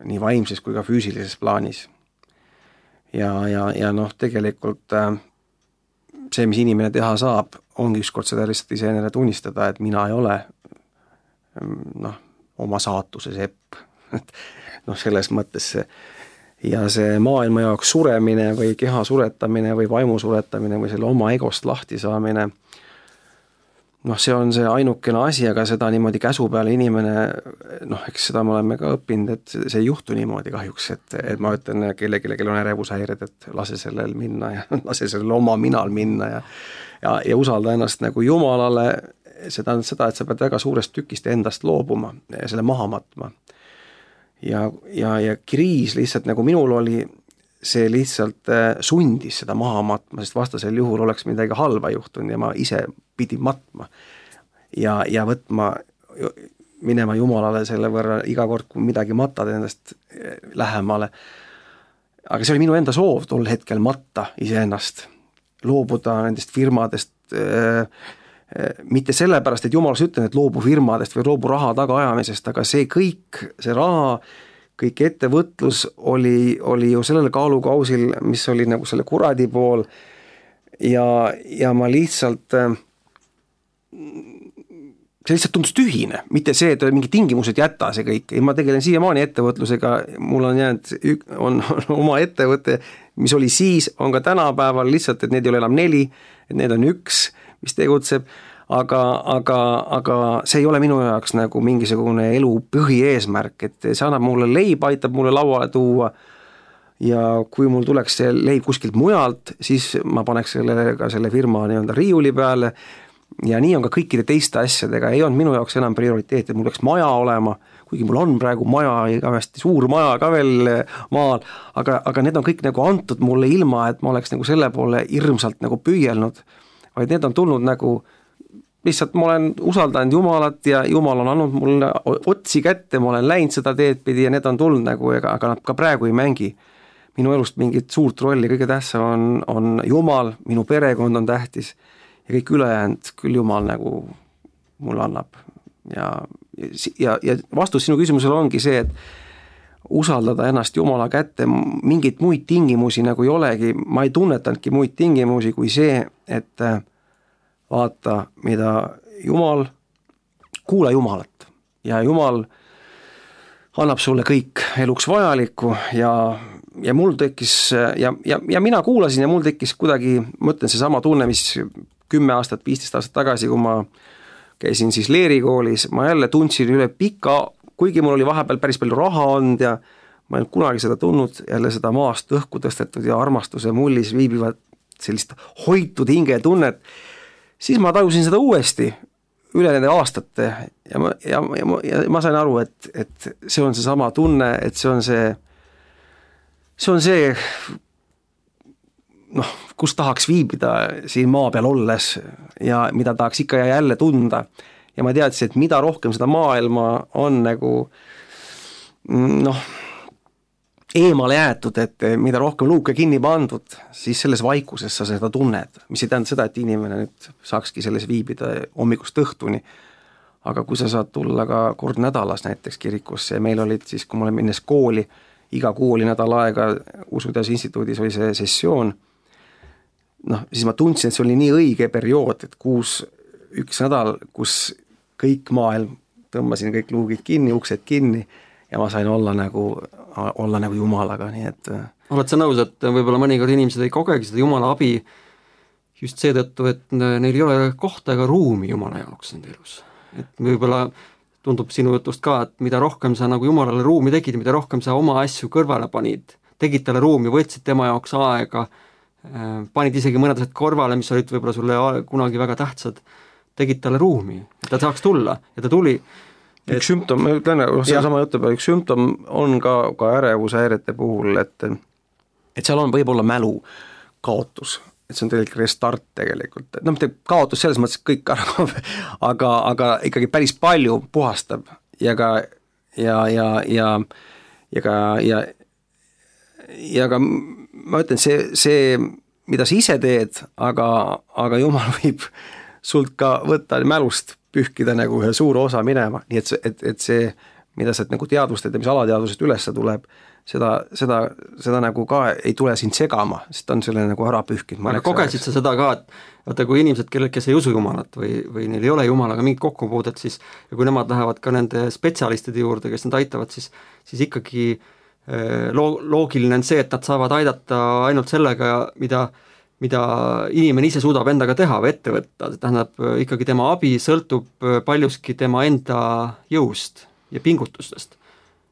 [SPEAKER 5] nii vaimses kui ka füüsilises plaanis. Ja, ja, ja noh, tegelikult see, mis inimene teha saab, ongi ükskord seda lihtsalt iseendale tunnistada, et mina ei ole noh, oma saatuse sepp. noh, selles mõttes see ja see maailma jaoks suremine või keha suretamine või vaimu suretamine või selle oma egost lahti saamine, noh, see on see ainukene asi, aga seda niimoodi käsu peale inimene, noh, eks seda me oleme ka õppinud, et see ei juhtu niimoodi kahjuks, et, et ma ütlen kellegi, kellel on ärevushäired, et lase sellel minna ja lase sellel oma minal minna ja, ja, ja usalda ennast nagu Jumalale, see tähendab seda, et sa pead väga suurest tükist endast loobuma ja selle maha matma. Ja, ja, ja kriis lihtsalt nagu minul oli, see lihtsalt sundis seda maha matma, sest vastasel juhul oleks midagi halba juhtunud ja ma ise pidin matma ja, ja võtma, minema Jumalale selle võrra iga kord, kui midagi matad endast lähemale. Aga see oli minu enda soov tol hetkel matta iseennast, loobuda nendest firmadest, mitte sellepärast, et Jumalas ütlen, et loobu firmadest või loobu raha tagaajamisest, aga see kõik, see raha, kõik ettevõtlus oli, oli ju sellel kaalukausil, mis oli nagu selle kuradi pool ja, ja ma lihtsalt, see lihtsalt tundus tühine, mitte see, et mingi tingimused jätta see kõik. Ma tegelen siiamaani ettevõtlusega, mul on jäänud, on, on oma ettevõte, mis oli siis, on ka tänapäeval lihtsalt, et need ei ole enam neli, et need on üks, mis tegutseb, aga, aga, aga see ei ole minu jaoks nagu mingisugune elu põhieesmärk, et see annab mulle leib, aitab mulle lauale tuua ja kui mul tuleks see leib kuskilt mujalt, siis ma paneks selle, ka selle firma nii-öelda riiuli peale ja nii on ka kõikide teiste asjadega, ei olnud minu jaoks enam prioriteet, et mul peaks maja olema, kuigi mul on praegu maja, igavesti suur maja ka veel maal, aga, aga need on kõik nagu antud mulle ilma, et ma oleks nagu selle poole hirmsalt nagu püüelnud, vaid need on tulnud nagu, lihtsalt ma olen usaldanud Jumalat ja Jumal on andnud mulle otsi kätte, ma olen läinud seda teed pidi ja need on tulnud nagu, aga nad ka praegu ei mängi minu elust mingit suurt rolli, kõige tähtsam on, on Jumal, minu perekond on tähtis ja kõik ülejäänud küll Jumal nagu mulle annab. Ja, ja, ja vastus sinu küsimusele ongi see, et usaldada ennast Jumala kätte, mingit muid tingimusi nagu ei olegi, ma ei tunnetanudki muid tingimusi kui see, et vaata, mida Jumal, kuula Jumalat ja Jumal annab sulle kõik eluks vajalikku ja, ja mul tekkis ja, ja, ja mina kuulasin ja mul tekkis kuidagi, ma ütlen see sama tunne, mis kümme aastat, viisteist aastat tagasi, kui ma käisin siis leerikoolis, ma jälle tundsin üle pika, kuigi mul oli vahepeal päris palju raha olnud ja ma ei olnud kunagi seda tundnud, jälle seda maast õhku tõstetud ja armastuse mullis viibivad sellist hoitud hingetunnet, siis ma tajusin seda uuesti üle nende aastate ja ma, ja, ja, ma, ja ma sain aru, et, et see on see sama tunne, et see on see, see on see, noh, kus tahaks viibida siin maa peal olles ja mida tahaks ikka ja jälle tunda. Ja ma teadsin, et mida rohkem seda maailma on nagu, noh, eemale jäetud, et mida rohkem luuke kinni pandud, siis selles vaikuses sa seda tunned, mis ei tähenda seda, et inimene nüüd saakski selles viibida hommikust õhtuni, aga kui sa saad tulla ka kord nädalas näiteks kirikusse ja meil olid siis, kui ma olen minnes kooli, iga kuu oli nädal aega Usuteaduse instituudis oli see sessioon, noh, siis ma tundsin, et see oli nii õige periood, et kuus, üks nädal, kus kõik maailm, tõmbasin kõik luugid kinni, uksed kinni ja ma sain olla nagu, olla nagu Jumalaga, nii et
[SPEAKER 4] oled sa nõus, et võib-olla mõnikord inimesed ei kogegi seda Jumala abi just seetõttu, et neil ei ole kohta ega ruumi Jumala jaoks nende elus. Et võib-olla tundub sinu jutust ka, et mida rohkem sa nagu Jumalale ruumi tegid, mida rohkem sa oma asju kõrvale panid, tegid talle ruumi, võtsid tema jaoks aega, panid isegi mõned asjad kõrvale, mis olid võib-olla sulle kunagi väga tähtsad, tegid talle ruumi, et ta saaks tulla ja ta tuli.
[SPEAKER 5] Et, üks sümptom, ma ütlen, selle sama jutu peale, üks sümptom on ka, ka ärevushäirete puhul, et, et seal on võib-olla mälu kaotus, et see on tegelikult restart tegelikult, no mitte kaotus selles mõttes kõik ära, aga, aga ikkagi päris palju puhastab ja ka ja, ja, ja, ja ka ja, ja ka ma ütlen, see, see, mida sa ise teed, aga, aga Jumal võib sult ka võtta mälust pühkida nagu ühe suure osa minema, nii et, et, et see mida sa nagu teadvustad ja mis alateadvusest üles tuleb, seda, seda, seda nagu ka ei tule sind segama, sest ta on selle nagu ära pühkinud.
[SPEAKER 4] Aga kogesid sa seda ka, et vaata, kui inimesed, kellel, kes ei usu Jumalat või, või neil ei ole Jumalaga mingit kokkupuudet, siis ja kui nemad lähevad ka nende spetsialistide juurde, kes nad aitavad, siis, siis ikkagi loo-, loogiline on see, et nad saavad aidata ainult sellega, mida mida inimene ise suudab endaga teha või ette võtta, tähendab ikkagi tema abi sõltub paljuski tema enda jõust ja pingutustest.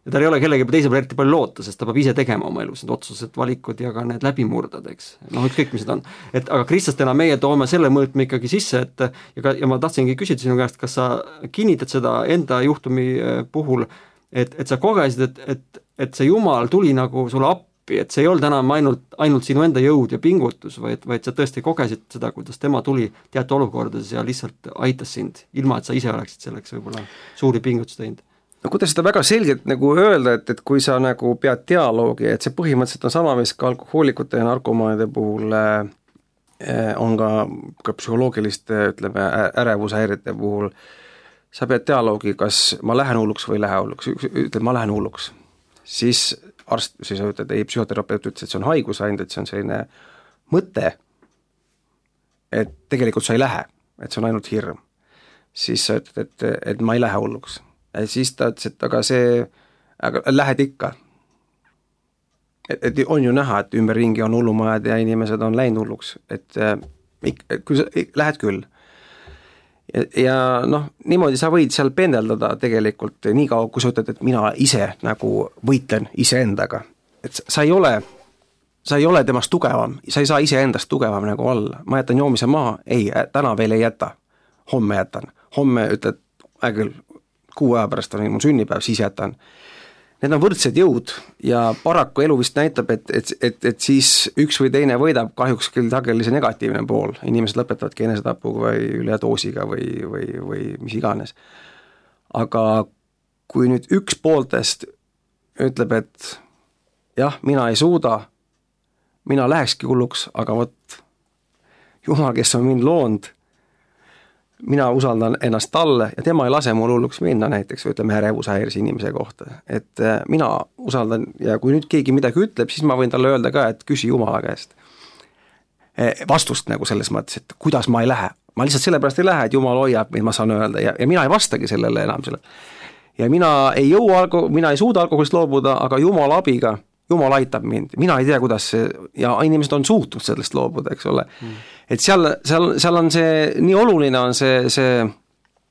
[SPEAKER 4] Ja tal ei ole kellegi teise peale eriti palju loota, sest ta peab ise tegema oma elus need otsused, valikud ja ka need läbimurdad, eks. Noh, ükskõik, mis need on. Et, aga kristlastena meie toome selle mõõtme ikkagi sisse, et ja, ka, ja ma tahtsingi küsida sinu käest, kas sa kinnitad seda enda juhtumi puhul, et, et sa kogesid, et, et, et see Jumal tuli nagu sulle appi, et see ei olnud enam ainult, ainult sinu enda jõud ja pingutus, vaid, vaid sa tõesti kogesid seda, kuidas tema tuli teatud olukordades ja lihtsalt aitas sind, ilma et sa ise oleksid selleks võib-olla suuri pingutusi teinud.
[SPEAKER 5] No kuidas seda väga selgelt nagu öelda, et, et kui sa nagu pead dialoogi, et see põhimõtteliselt on sama, mis ka alkohoolikute ja narkomaanide puhul äh, on ka, ka psühholoogiliste, ütleme, ärevushäirete puhul, sa pead dialoogi, kas ma lähen hulluks või ei lähe hulluks, ütled, ma lähen hulluks, siis arst, siis ütled, ei, psühhoterapeut ütles, et see on haigus ainult, et see on selline mõte, et tegelikult sa ei lähe, et see on ainult hirm. Siis sa ütled, et, et ma ei lähe hulluks. Ja siis ta ütles, et aga see, aga lähed ikka. Et, et on ju näha, et ümberringi on hullumajad ja inimesed on läinud hulluks, et, et kui sa lähed küll. Ja, ja noh, niimoodi sa võid seal pendeldada tegelikult nii kaua, kui sa ütled, et mina ise nagu võitlen iseendaga. Et sa ei ole, sa ei ole temast tugevam, sa ei saa iseendast tugevam nagu olla. Ma jätan joomise maha, ei, täna veel ei jäta, homme jätan. Homme ütled, äh küll, kuu aja pärast on mul sünnipäev, siis jätan. Need on võrdsed jõud ja paraku elu vist näitab, et, et, et, et siis üks või teine võidab, kahjuks küll sageli see negatiivne pool. Inimesed lõpetavadki enesetapuga või üledoosiga või, või, või mis iganes. Aga kui nüüd üks pooltest ütleb, et jah, mina ei suuda, mina lähekski hulluks, aga vot Jumal, kes on mind loonud, mina usaldan ennast talle ja tema ei lase mul hulluks minna näiteks, või ütleme ärevushäires inimese kohta. Et mina usaldan ja kui nüüd keegi midagi ütleb, siis ma võin talle öelda ka, et küsi Jumala käest vastust nagu selles mõttes, et kuidas ma ei lähe. Ma lihtsalt sellepärast ei lähe, et Jumal hoiab, mida ma saan öelda ja, ja mina ei vastagi sellele enam selle. Ja mina ei jõua, mina ei suuda alkoholist loobuda, aga Jumala abiga, Jumal aitab mind. Mina ei tea, kuidas see, ja inimesed on suutnud sellest loobuda, eks ole. Mm. Et seal, seal, seal on see, nii oluline on see, see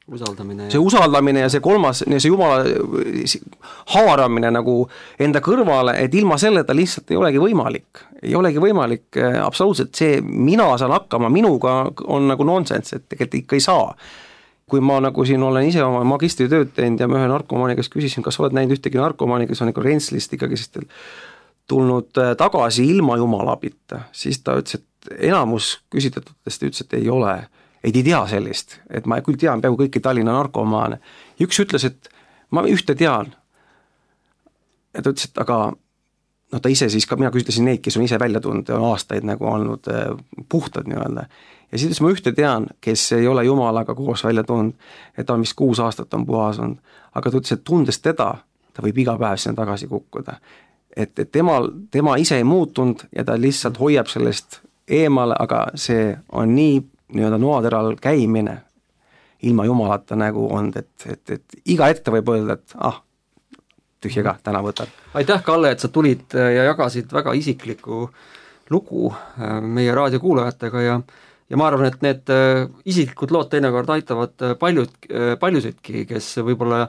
[SPEAKER 4] usaldamine,
[SPEAKER 5] see usaldamine ja see kolmas, ja see Jumala haaramine nagu enda kõrvale, et ilma selleta lihtsalt ei olegi võimalik. Ei olegi võimalik absoluutselt see, mina saan hakkama, minuga on nagu nonsense, et tegelikult ikka ei saa. Kui ma nagu siin olen ise oma magistritööd teinud ja ma ühe narkomaani, kes küsisin, kas oled näinud ühtegi narkomaani, kes on nagu Rentslist ikkagi tulnud tagasi ilma Jumala abita, siis ta ütles, et enamus küsitletutest ütles, et ei ole, ei tea sellist, et ma küll tean peaaegu kõiki Tallinna narkomaane. Üks ütles, et ma ühte tean. Ja ta ütles, et aga no ta ise siis ka, mina küsitlesin neid, kes on ise välja tulnud, on aastaid nagu olnud puhtad nii-öelda. Ja siis ütles, ma ühte tean, kes ei ole Jumalaga koos välja tulnud, et ta on vist kuus aastat on puhas olnud, aga ta ütles, et tundes teda, ta võib iga päev sinna tagasi kukkuda. Et, et tema, tema ise ei muutunud ja ta lihtsalt hoiab sellest eemale, aga see on nii nii-öelda noateral käimine ilma Jumalata nagu on, et, et, et iga ette võib öelda, et ah, tühja ka, täna võtan.
[SPEAKER 4] Aitäh, Kalle, et sa tulid ja jagasid väga isiklikku lugu meie raadiokuulajatega ja ja ma arvan, et need isiklikud lood teinekord aitavad paljud, paljusidki, kes võib-olla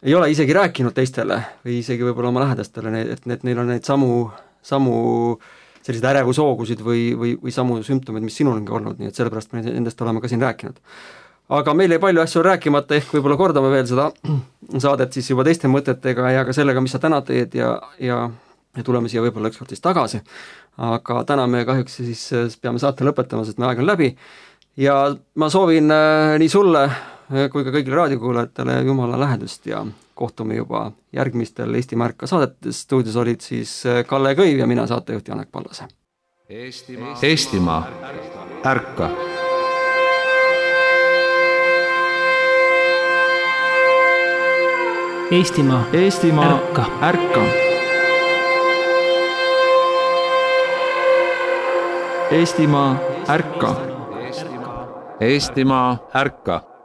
[SPEAKER 4] ei ole isegi rääkinud teistele või isegi võib-olla oma lähedastele, et need, neil on neid samu, samu selliseid ärevusoogusid või, või, või samu sümptomeid, mis sinul ongi olnud, nii et sellepärast me nendest oleme ka siin rääkinud. Aga meil ei palju asju rääkimata, ehk võib-olla kordame veel seda saadet siis juba teiste mõtetega ja ka sellega, mis sa täna teed ja, ja, ja tuleme siia võib-olla ükskord siis tagasi. Aga täna me kahjuks siis peame saate lõpetama, sest me aeg on läbi ja ma soovin nii sulle kui ka kõigile raadiokuulajatele Jumala lähedust ja kohtume juba järgmistel Eesti Märka saadetes. Stuudios olid siis Kalle Kõiv ja mina saatejuht Janek Pallase.
[SPEAKER 1] Eestimaa, Eestimaa ärka.
[SPEAKER 2] Eestimaa,
[SPEAKER 3] Eestimaa,
[SPEAKER 2] ärka.
[SPEAKER 3] ärka. Eestimaa, ärka.
[SPEAKER 1] Eestimaa, ärka.